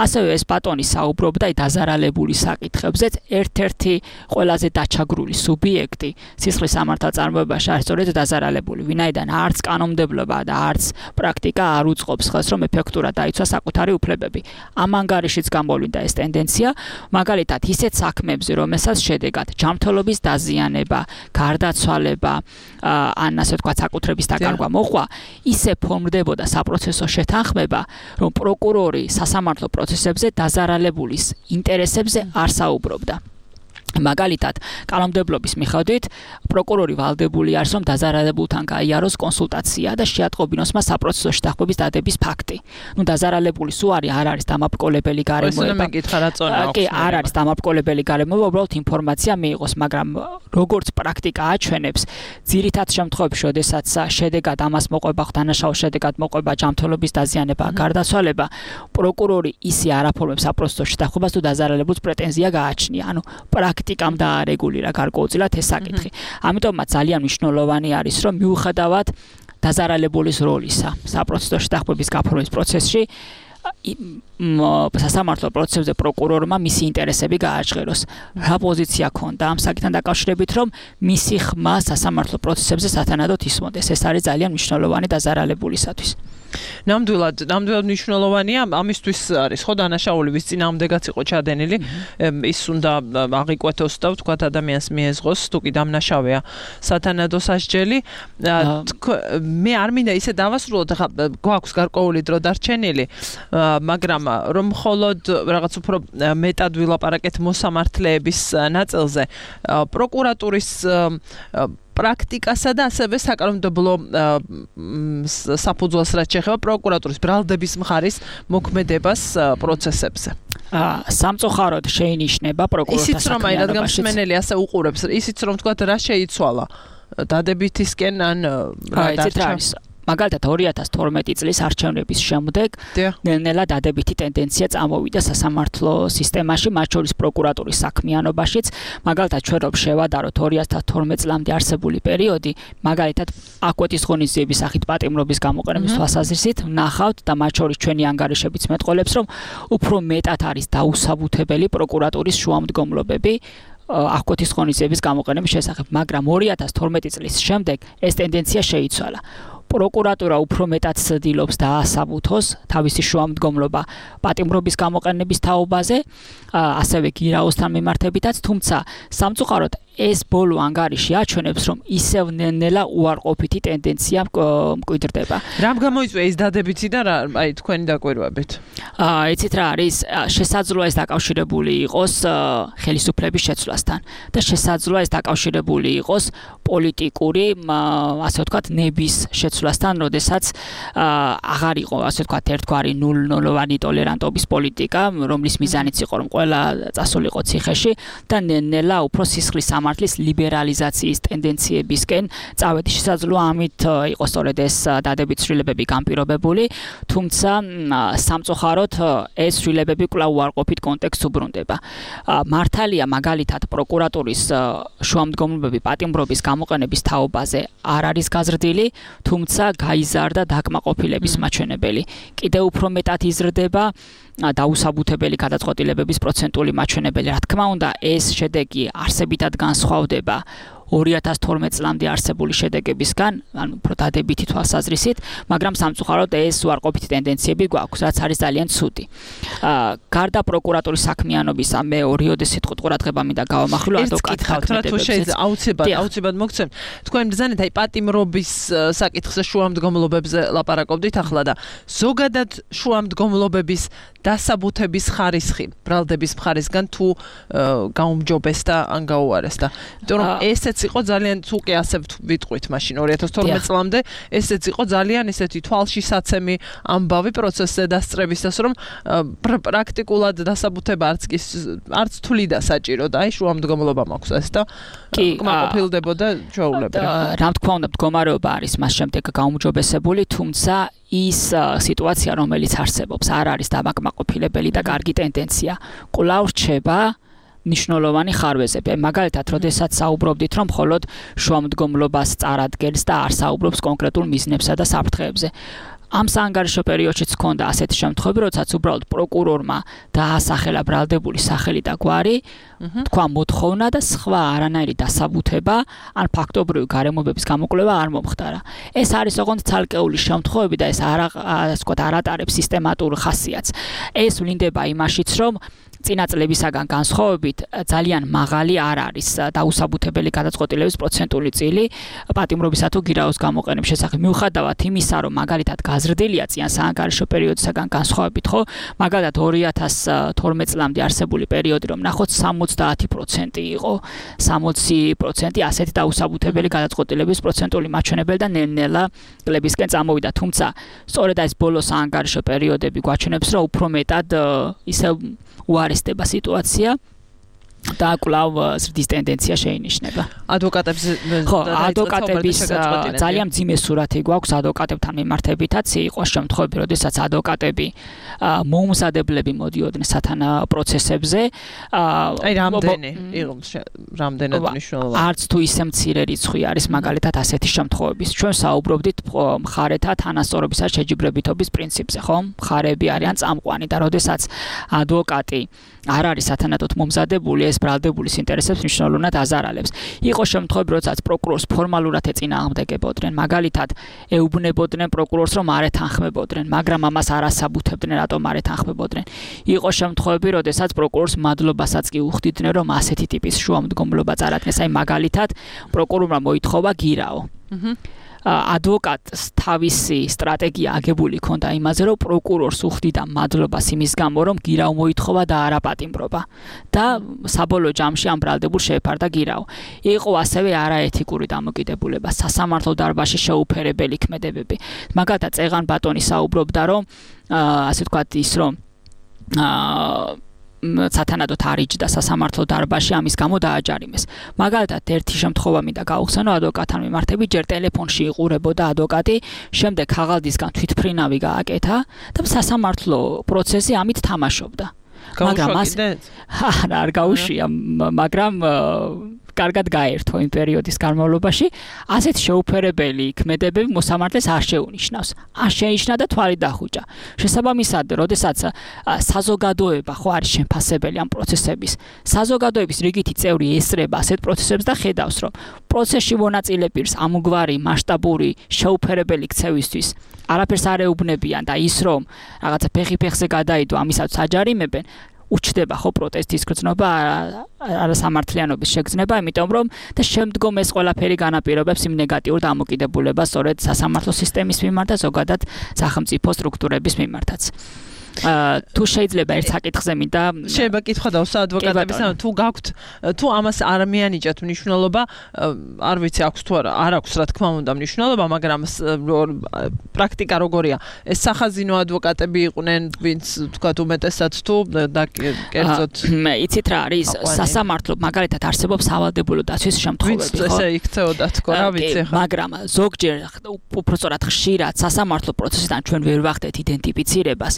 ასევე ეს ბატონი საუბრობდა დაზარალებული საკითხებზეც, ერთ-ერთი ყველაზე დაჩაგრული სუბიექტი სისხლის სამართალწარმოებაში არის სწორედ დაზარალებული, ვინაიდან არც კანონმდებლობა და არც პრაქტიკა არ უწყობს ხელს, რომ ეფექტურად დაიცვა საკუთარი უფლებები. ამ ანგარიშიც გამოვლინდა ეს ტენდენცია, მაგალითად ისეთ საქმეებზე, რომელსაც შედეგად ჯანმრთელობის დაზიანება, გარდაცვალება ან ასე ვთქვათ საკუთრების დაკარგვა მოხდა, ისე ფორმდებოდა საპროცესო შეთანხმება, რომ პროკურორი სასამართლო პროცესებზე დაზარალებულის ინტერესებზე არ საუბრობდა. მაგალითად, კანონმდებლობის მიხედვით პროკურორი ვალდებული არის, რომ დაზარალებულთან გაიაროს კონსულტაცია და შეატყობინოს მას საპროცესო შეთანხმების დადების ფაქტი. დაზარალებულის უარი არ არის დამაბრძოლებელი გარემოება. კი, არ არის დამაბრძოლებელი გარემოება, უბრალოდ ინფორმაცია მიიღოს, მაგრამ როგორც პრაქტიკა აჩვენებს, ძირითად შემთხვევებში, როდესაც შედეგად ამას მოყვება, დანაშაულ შედეგად მოყვება ჯანმრთელობის დაზიანება, გარდაცვალება, პროკურორი ისე არ აფორმებს საპროცესო შეთანხმებას, თუ დაზარალებულს პრეტენზია გააჩნია. ანუ პრაქტიკამ დაარეგულირა გარკვეულწილად ეს საკითხი. ამიტომაც ძალიან მნიშვნელოვანი არის, რომ მიუხედავად დაზარალებულის როლისა საპროცესო შეთანხმების გაფორმების პროცესში სასამართლო პროცესებზე პროკურორმა მისი ინტერესები გააჩღეროს. რა პოზიცია ქონდა ამ საკითხთან დაკავშირებით, რომ მისი ხმა სასამართლო პროცესებზე სათანადოდ ისმოდეს. ეს არის ძალიან მნიშვნელოვანი დაზარალებულისათვის. ნამდვილად მნიშვნელოვანია, ამისთვის არის ხო დანაშაული, ვის წინააღმდეგაც იყო ჩადენილი, ის უნდა აღიკვეთოს და ვთქვათ ადამიანს მიეზღოს, თუ კი დამნაშავეა სათანადო სასჯელი. მე არ მინდა ისე დავასრულოთ, ხა გვაქვს გარკვეული დრო დარჩენილი, მაგრამ რომ მხოლოდ რაღაც უფრო მეტად ვილაპარაკეთ მოსამართლეების ნაწილზე, პროკურატურის პრაქტიკასა და ასევე საკანონმდებლო საფუძველს რაც შეეხება პროკურატურის ბრალდების მხარის მოქმედებას პროცესებზე. სამწუხაროდ შეინიშნება პროკურორთა ისიც რომ აი რადგან მსმენელი ასე უყურებს, ისიც რომ თქვა რა შეიცვალა დადებითისკენ ან რა დარჩა. მაგალითად 2012 წლის არჩევნების შემდეგ ნელ-ნელა დადებითი ტენდენცია წამოვიდა სასამართლო სისტემაში, მათ შორის პროკურატურის საქმიანობაშიც. მაგალითად ჩვენ რომ შევადაროთ 2012 წლამდე არსებული პერიოდი, მაგალითად აკვეთის ღონისძიების სახით პატიმრობის გამოყენების თვალსაზრისით ნახავთ და მათ შორის ჩვენი ანგარიშებიც მეტყოლებს, რომ უფრო მეტად არის დაუსაბუთებელი პროკურატურის შუამდგომლობები აკვეთის ღონისძიების გამოყენების შესახებ, მაგრამ 2012 წლის შემდეგ ეს ტენდენცია შეიცვალა. პროკურატურა უფრო მეტად ცდილობს დაასაბუთოს თავისი შუამდგომლობა პატიმრობის გამოყენების თაობაზე, ასევე გირაოსთან მიმართებითაც, თუმცა სამწუხაროდ ეს ბოლო ანგარიში აჩვენებს, რომ ისევ ნელ-ნელა უარყოფითი ტენდენცია მკვიდრდება. რამ გამოიწვია ეს დადებითი და აი თქვენი დაკვირვებით? იცით რა არის, შესაძლოა ეს დაკავშირებული იყოს ხელისუფლების შეცვლასთან და შესაძლოა ეს დაკავშირებული იყოს პოლიტიკური, ასე ვთქვათ, ნების შეცვლასთან, როდესაც აღარ იყო, ასე ვთქვათ, ერთგვარი ნულოვანი ტოლერანტობის პოლიტიკა, რომლის მიზანიც იყო, რომ ყველა წასულიყო ციხეში და ნელ-ნელა უფრო სისხლის სამართლის ლიბერალიზაციის ტენდენციებისკენ წავედი. შესაძლოა ამით იყოს სწორედ ეს დადებით ცვლილებები განპირობებული, თუმცა სამწუხაროდ ეს ცვლილებები კვლავ უარყოფით კონტექსტს უბრუნდება. მართალია მაგალითად პროკურატურის შუამდგომლობები პატიმრობის გამოყენების თაობაზე არ არის გაზრდილი, თუმცა გაიზარდა დაკმაყოფილების მაჩვენებელი. კიდევ უფრო მეტად იზრდება დაუსაბუთებელი გადაწყვეტილებების პროცენტული მაჩვენებელი. რა თქმა უნდა, ეს შედეგი არსებითად განსხვავდება 2012 წლამდე არსებული შედეგებისგან, ანუ უფრო დადებითი თვალსაზრისით, მაგრამ სამწუხაროდ ეს უარყოფითი ტენდენციები გვაქვს, რაც არის ძალიან ცუდი. გარდა პროკურატურის საქმიანობისა, მე ორიოდე სიტყვით ყურადღება მინდა გავამახვილო ადვოკატ ხაქმედებებზე. აუცილებლად მოგცემ. თქვენ ბრძანეთ აი პატიმრობის საკითხზე შუამდგომლობებზე ლაპარაკობდით ახლა და ზოგადად შუამდგომლობების დასაბუთების ხარისხი ბრალდების მხარისგან თუ გაუმჯობეს და ან გაუარეს და იმიტომ რომ ესეც იყო ძალიან თუკი ასე ვიტყვით მაშინ 2012 წლამდე ესეც იყო ძალიან ისეთი თვალშისაცემი ამბავი პროცესზე დასწრებისას რომ პრაქტიკულად დასაბუთება არც თვლიდა საჭირო და აი შუამდგომლობა მაქვს ეს და კმაყოფილდებოდა ჩვეულებრივ. რა თქმა უნდა მდგომარეობა არის მას შემდეგ გაუმჯობესებული, თუმცა ის სიტუაცია რომელიც არსებობს არ არის დამაკმაყოფილებელი და კარგი ტენდენცია. კვლავ რჩება ნიშნულოვანი ხარვეზები. მაგალითად, როდესაც საუბრობდით, რომ მხოლოდ შუამდგომლობას წარადგენს და არ საუბრობს კონკრეტულ მიზნებსა და საფრთხეებზე. ამ საანგარიშო პერიოდშიც ჰქონდა ასეთი შემთხვევები, როდესაც უბრალოდ პროკურორმა დაასახელა ბრალდებული სახელი და გვარი, თქვა მოთხოვნა და სხვა არანაირი დასაბუთება ან ფაქტობრივი გარემოებების გამოკვლევა არ მომხდარა. ეს არის ოღონდ ცალკეული შემთხვევები და ეს არ ატარებს სისტემატურ ხასიათს. ეს ვლინდება იმაშიც, რომ წინა წლებისაგან განსხვავებით ძალიან მაღალი არ არის დაუსაბუთებელი გადაწყვეტილების პროცენტული წილი პატიმრობისა თუ გირაოს გამოყენების შესახებ. მიუხედავად იმისა, რომ მაგალითად გაზრდილია წინა საანგარიშო პერიოდისაგან განსხვავებით, ხო? მაგალითად 2012 წლამდე არსებული პერიოდი რომ ნახოთ 70% იყო 60% ასეთი დაუსაბუთებელი გადაწყვეტილების პროცენტული მაჩვენებელი და ნელ-ნელა წლებისკენ წამოვიდა. თუმცა სწორედ ეს ბოლო საანგარიშო პერიოდები გვაჩვენებს, რომ უფრო მეტად ისევ უარესდება სიტუაცია და კვლავ ზრდის ტენდენცია შეინიშნება. ადვოკატების ძალიან მძიმე სურათი გვაქვს ადვოკატებთან მიმართებითაც. იყო შემთხვევები, როდესაც ადვოკატები მოუმზადებლები მოდიოდნენ სათანა პროცესებზე. აი რამდენად მნიშვნელოვანი. არც თუ ისე მცირე რიცხვი არის მაგალითად ასეთი შემთხვევების. ჩვენ საუბრობდით მხარეთა თანასწორობისა შეჯიბრებითობის პრინციპზე, ხო? მხარეები არიან წამყვანი და როდესაც ადვოკატი არ არის სათანადოდ მომზადებული, ეს ბრალდებულის ინტერესებს მნიშვნელოვნად აზარალებს. იყო შემთხვევები, როდესაც პროკურორს ფორმალურად ეწინააღმდეგებოდნენ, მაგალითად, ეუბნებოდნენ პროკურორს, რომ არ ეთანხმებოდნენ, მაგრამ ამას არ ასაბუთებდნენ, რატომ არ ეთანხმებოდნენ. იყო შემთხვევები, როდესაც პროკურორს მადლობასაც კი უხდიდნენ, რომ ასეთი ტიპის შუამდგომლობა წარადგეს. აი მაგალითად, პროკურორმა მოითხოვა გირაო. ადვოკატს თავისი სტრატეგია აგებული ქონდა იმაზე, რომ პროკურორს უხდიდა მადლობას იმის გამო, რომ გირაო მოითხოვა და არა პატიმრობა და საბოლოო ჯამში ამ ბრალდებულ შეეფარდა გირაო. იყო ასევე არაეთიკური დამოკიდებულება, სასამართლო დარბაზში შეუფერებელი ქმედებები. მაგალითად, წეღან ბატონი საუბრობდა, რომ ასე ვთქვათ ის რომ სათანადოდ არიჯდა სასამართლო დარბაზში ამის გამო დააჯარიმეს. მაგალითად, ერთი შემთხვევა მინდა გავხსენო, ადვოკატთან მიმართებით ჯერ ტელეფონში იყურებოდა ადვოკატი, შემდეგ ხაღალდისგან თვითფრინავი გააკეთა და სასამართლო პროცესი ამით თამაშობდა. მაგრამ არ გაუშვია, მაგრამ კარგად გაერთო იმ პერიოდის განმავლობაში, ასეთ შეუფერებელი ქმედებები მოსამართლეს არ შეუნიშნავს. არ შეინიშნა და თვალი დახუჭა. შესაბამისად, როდესაც საზოგადოება ხო არის შემფასებელი ამ პროცესების, საზოგადოების რიგითი წევრი ესწრება ასეთ პროცესებს და ხედავს, რომ პროცესში მონაწილე პირს ამგვარი მასშტაბური შეუფერებელი ქცევისთვის არაფერს არ ეუბნებიან და ის რომ რაღაცა ფეხი-ფეხზე გადაიდო, ამისაც აჯარიმებენ, უჩდება ხო პროტესტის გრძნობა, არასამართლიანობის შეგრძნება, იმიტომ რომ და შემდგომ ეს ყველაფერი განაპირობებს იმ ნეგატიურ დამოკიდებულებას სწორედ სასამართლო სისტემის მიმართ და ზოგადად სახელმწიფო სტრუქტურების მიმართაც. თუ შეიძლება ერთ საკითხზე მინდა შეიძლება კითხვა დავსვა ადვოკატების, თუ გაქვთ, თუ ამას არ მიანიჭათ მნიშვნელობა, არ ვიცი აქვს თუ არა, არ აქვს რა თქმა უნდა მნიშვნელობა, მაგრამ პრაქტიკა როგორია? ეს სახაზინო ადვოკატები იყვნენ, ვინც თქვათ უმეტესად თუ და კერძოდ მე იცით რა არის სასამართლო, მაგალითად არსებობს სავალდებულო დაცვის შემთხვევები, ხო? ესე იქცეოდა თქო, რა ვიცი ხა. მაგრამ ზოგჯერ უпростоრად ხშირად სასამართლო პროცესიდან ჩვენ ვერ ვახდეთ იდენტიფიცირებას.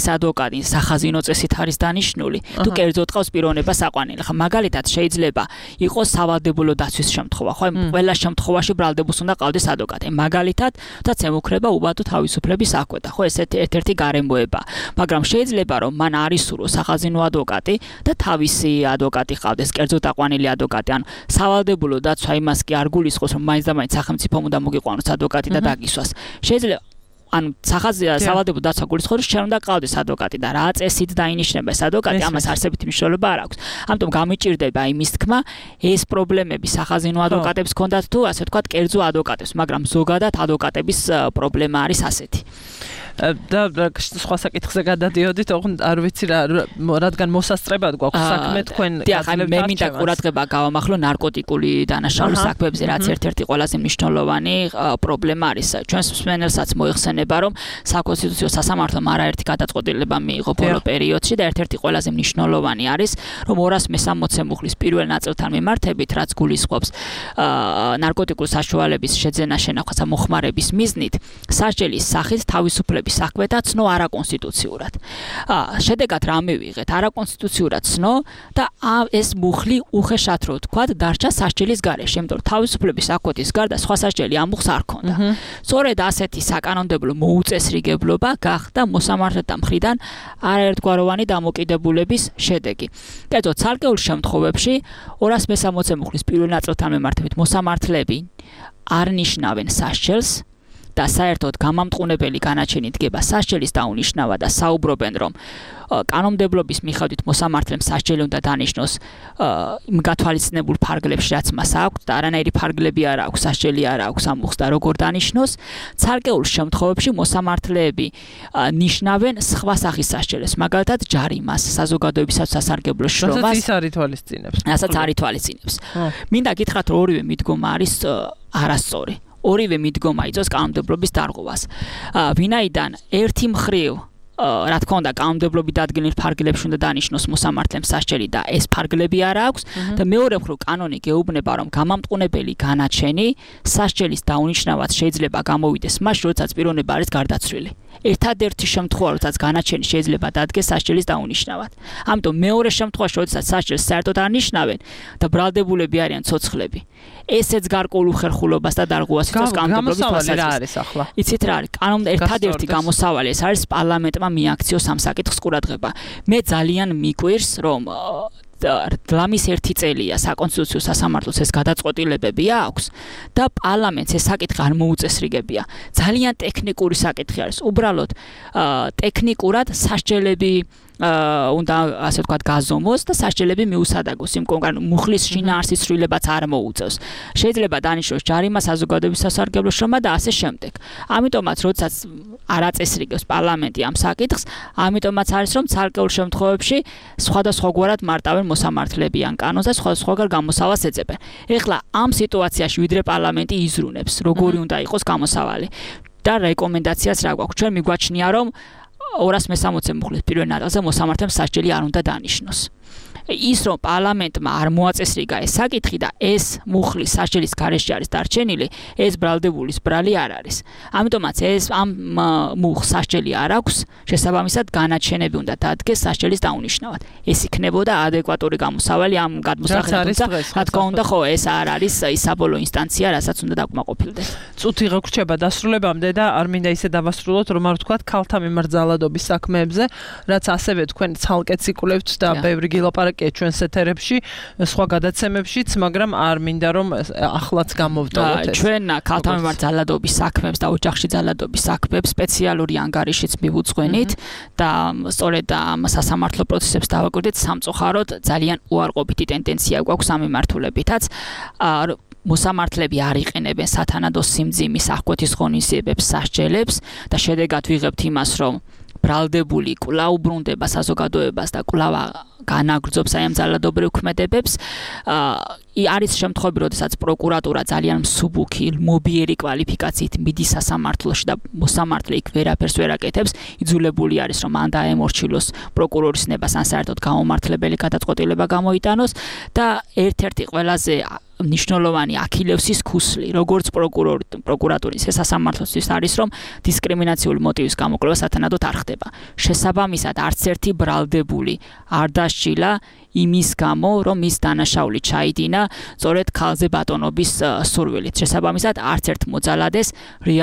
ეს ადვოკატი სახაზინო წესით არის დანიშნული, თუ კერძოდ ყავს პიროვნება საყვანილი. ხა მაგალითად შეიძლება იყოს სავალდებულო დაცვის შემთხვევა, ხო? ყველა შემთხვევაში ბრალდებულს უნდა ყავდეს ადვოკატი. მაგალითად, თაც ემუქრება უბადო თავისუფლების საკვეთა, ხო? ეს ერთ-ერთი გარემოება. მაგრამ შეიძლება რომ მან არ ისურვო სახაზინო ადვოკატი და თავისი ადვოკატი ყავდეს, კერძოდ აყვანილი ადვოკატი. ან სავალდებულო დაცვა იმას კი არ გულისხმობს, რომ მაინც სახელმწიფომ უნდა მოგიყვანოს ადვოკატი და დაგისვას. შეიძლება ანუ სავალდებულო დაცვა გულისხმობს, რომ უნდა ყავდეს ადვოკატი და რა წესით დაინიშნება ეს ადვოკატი, ამას არსებითი მნიშვნელობა არ აქვს. ამიტომ გამიჭირდება იმის თქმა, ეს პრობლემები სახაზინო ადვოკატებს ჰქონდათ თუ ასე ვთქვათ, კერძო ადვოკატებს, მაგრამ ზოგადად ადვოკატების პრობლემა არის ასეთი. და სხვა საკითხზე გადადიოდით, არ ვიცი რა, რადგან მოსასწრებად გვაქვს საქმე თქვენ მე მინდა ყურადღება გავამახლო ნარკოტიკული დანაშაულის საქმეებზე, რაც ერთ-ერთი ყველაზე მნიშვნელოვანი პრობლემა არის. ჩვენს მსმენელსაც მოიხსენება, რომ საკონსტიტუციო სასამართლომ არაერთი გადაწყვეტილება მიიღო ბოლო პერიოდში და ერთ-ერთი ყველაზე მნიშვნელოვანი არის, რომ 260 მუხლის პირველ ნაწილთან მიმართებით, რაც გულისხმობს ნარკოტიკული საშუალების შეძენა შენახვასა მოხმარების მიზნით, სასჯელის სახით თავისუფლების საქმეთა ცნო არაკონსტიტუციურად. შედეგად რა მივიღეთ? არაკონსტიტუციურად ცნო და ეს მუხლი უხეშად რო თქვა დარჩა სასჯელის გარეშე, იმიტომ რომ თავისუფლების საქმეთის გარდა სხვა სასჯელი ამ მუხს არ ჰქონდა. სწორედ ასეთი საკანონმდებლო მოუწესრიგებლობა გახდა მოსამართლეთა მხრიდან არაერთგვაროვანი დამოკიდებულების შედეგი. კერძოდ, ცალკეულ შემთხვევებში 260 მუხლის პირველ ნაწილთან მიმართებით მოსამართლეები არ ნიშნავენ სასჯელს და საერთოდ გამამტყუნებელი განაჩენი დგება სასჯელის დაუნიშნავა და საუბრობენ, რომ კანონმდებლობის მიხედვით მოსამართლემ სასჯელი უნდა დანიშნოს იმ გათვალისწინებულ ფარგლებში, რაც მას აქვს და არანაირი ფარგლები არ აქვს, სასჯელი არ აქვს ამ მუხს და როგორ დანიშნოს. ცალკეულ შემთხვევებში მოსამართლეები ნიშნავენ სხვა სახის სასჯელს, მაგალითად ჯარიმას, საზოგადოებისათვის სასარგებლო შრომას. რასაც ის არ ითვალისწინებს. რასაც არ ითვალისწინებს. მინდა გითხრათ, რომ ორივე მიდგომა არის არასწორი. ორივე მიდგომა იწვევს კანონმდებლობის დარღვევას. ვინაიდან ერთი მხრივ რა თქმა უნდა კანონმდებლობით დადგენილ ფარგლებში უნდა დანიშნოს მოსამართლემ სასჯელი და ეს ფარგლები არ აქვს და მეორე მხრივ კანონი გეუბნება, რომ გამამტყუნებელი განაჩენი სასჯელის დაუნიშნავად შეიძლება გამოვიდეს მაშინ, როდესაც პიროვნება არის გარდაცვლილი. ერთადერთი შემთხვევა, როდესაც განაჩენი შეიძლება დადგეს სასჯელის დაუნიშნავად. ამიტომ მეორე შემთხვევაში, როდესაც სასჯელს საერთოდ არ ნიშნავენ და ბრალდებულები არიან ცოცხლები, ესეც გარკვეულ უხერხულობას და დარღვევას იწვევს კანონმდებლობის თვალსაზრისით. იცით რა არის? ერთადერთი გამოსავალი ეს არის პარლამენტმა მიაქციოს ამ საკითხს ყურადღება. მე ძალიან მიკვირს, რომ ლამის ერთი წელია საკონსტიტუციო სასამართლოს ეს გადაწყვეტილებები აქვს და პარლამენტს ეს საკითხი არ მოუწესრიგებია. ძალიან ტექნიკური საკითხი არის. უბრალოდ ტექნიკურად სასჯელები უნდა ასე ვთქვათ გაზომოს და სასჯელები მიუსადაგოს იმ კონკრეტულ მუხლის შინაარსის ცვლილებაც არ მოუწევს. შეიძლება დანიშნოს ჯარიმა, საზოგადოების სასარგებლო შრომა და ასე შემდეგ. ამიტომაც როდესაც არ აწესრიგებს პარლამენტი ამ საკითხს, ამიტომაც არის რომ ცალკეულ შემთხვევებში სხვადასხვაგვარად მარტავენ მოსამართლეები ან კანონს და სხვადასხვაგვარ გამოსავალს ეძებენ. ეხლა ამ სიტუაციაში ვიდრე პარლამენტი იზრუნებს, როგორი უნდა იყოს გამოსავალი და რეკომენდაციას რა გვაქვს? ჩვენ მიგვაჩნია რომ 260 მუხლის პირველ ნაწილზე მოსამართლემ სასჯელი არ უნდა დანიშნოს. ის რომ პარლამენტმა არ მოაწესრიგა ეს საკითხი და ეს მუხლის სასჯელის გარეშე არის დარჩენილი, ეს ბრალდებულის ბრალი არ არის. ამიტომაც ეს ამ მუხს სასჯელი არ აქვს, შესაბამისად განაჩენები უნდა დადგეს სასჯელის დაუნიშნავად. ეს იქნებოდა ადეკვატური გამოსავალი ამ გადმოსახედად. რა თქმა უნდა, ხო, ეს არ არის ის საბოლოო ინსტანცია, რასაც უნდა დაკმაყოფილდეს. წუთი გრჩება დასრულებამდე და არ მინდა ისე დავასრულოთ, რომ არ ვთქვათ ქალთა მიმართ ძალადობის საქმეებზე, რაც ასევე თქვენ ცალკე ციკლებთ და ბევრი გილაპარაკია ჩვენს ეთერებში, სხვა გადაცემებშიც, მაგრამ არ მინდა რომ ახლაც გამოვტოვოთ ეს. ჩვენ ქალთა მიმართ ძალადობის საქმეებს და ოჯახში ძალადობის საქმეებს სპეციალური ანგარიშიც მივუძღვენით და სწორედ ამ სასამართლო პროცესებს დავაკვირდით სამწუხაროდ ძალიან უარყოფითი ტენდენცია გვაქვს ამ მიმართულებითაც. მოსამართლეები არ იყენებენ სათანადო სიმძიმის აღკვეთის ღონისძიებებს, სასჯელებს და შედეგად ვიღებთ იმას, რომ ბრალდებული კვლავ უბრუნდება საზოგადოებას და კვლავ განაგრძობს აი ამ ძალადობრივ ქმედებებს. არის შემთხვევები, როდესაც პროკურატურა ძალიან მსუბუქი, მობიერი კვალიფიკაციით მიდის სასამართლოში და მოსამართლე იქ ვერაფერს ვერ აკეთებს, იძულებული არის რომ ან დაემორჩილოს პროკურორის ნებას, ან საერთოდ გამომართლებელი გადაწყვეტილება გამოიტანოს და ერთ-ერთი ყველაზე მნიშვნელოვანი აქილევსის ქუსლი, როგორც პროკურატურის სასამართლოსთვის არის, რომ დისკრიმინაციული მოტივის გამოკვლევა სათანადოდ არ ხდება. შესაბამისად, არც ერთი ბრალდებული არ დასჯილა იმის გამო, რომ მის დანაშაული ჩაიდინა სწორედ ქალზე ბატონობის სურვილით. შესაბამისად, არც ერთ მოძალადეს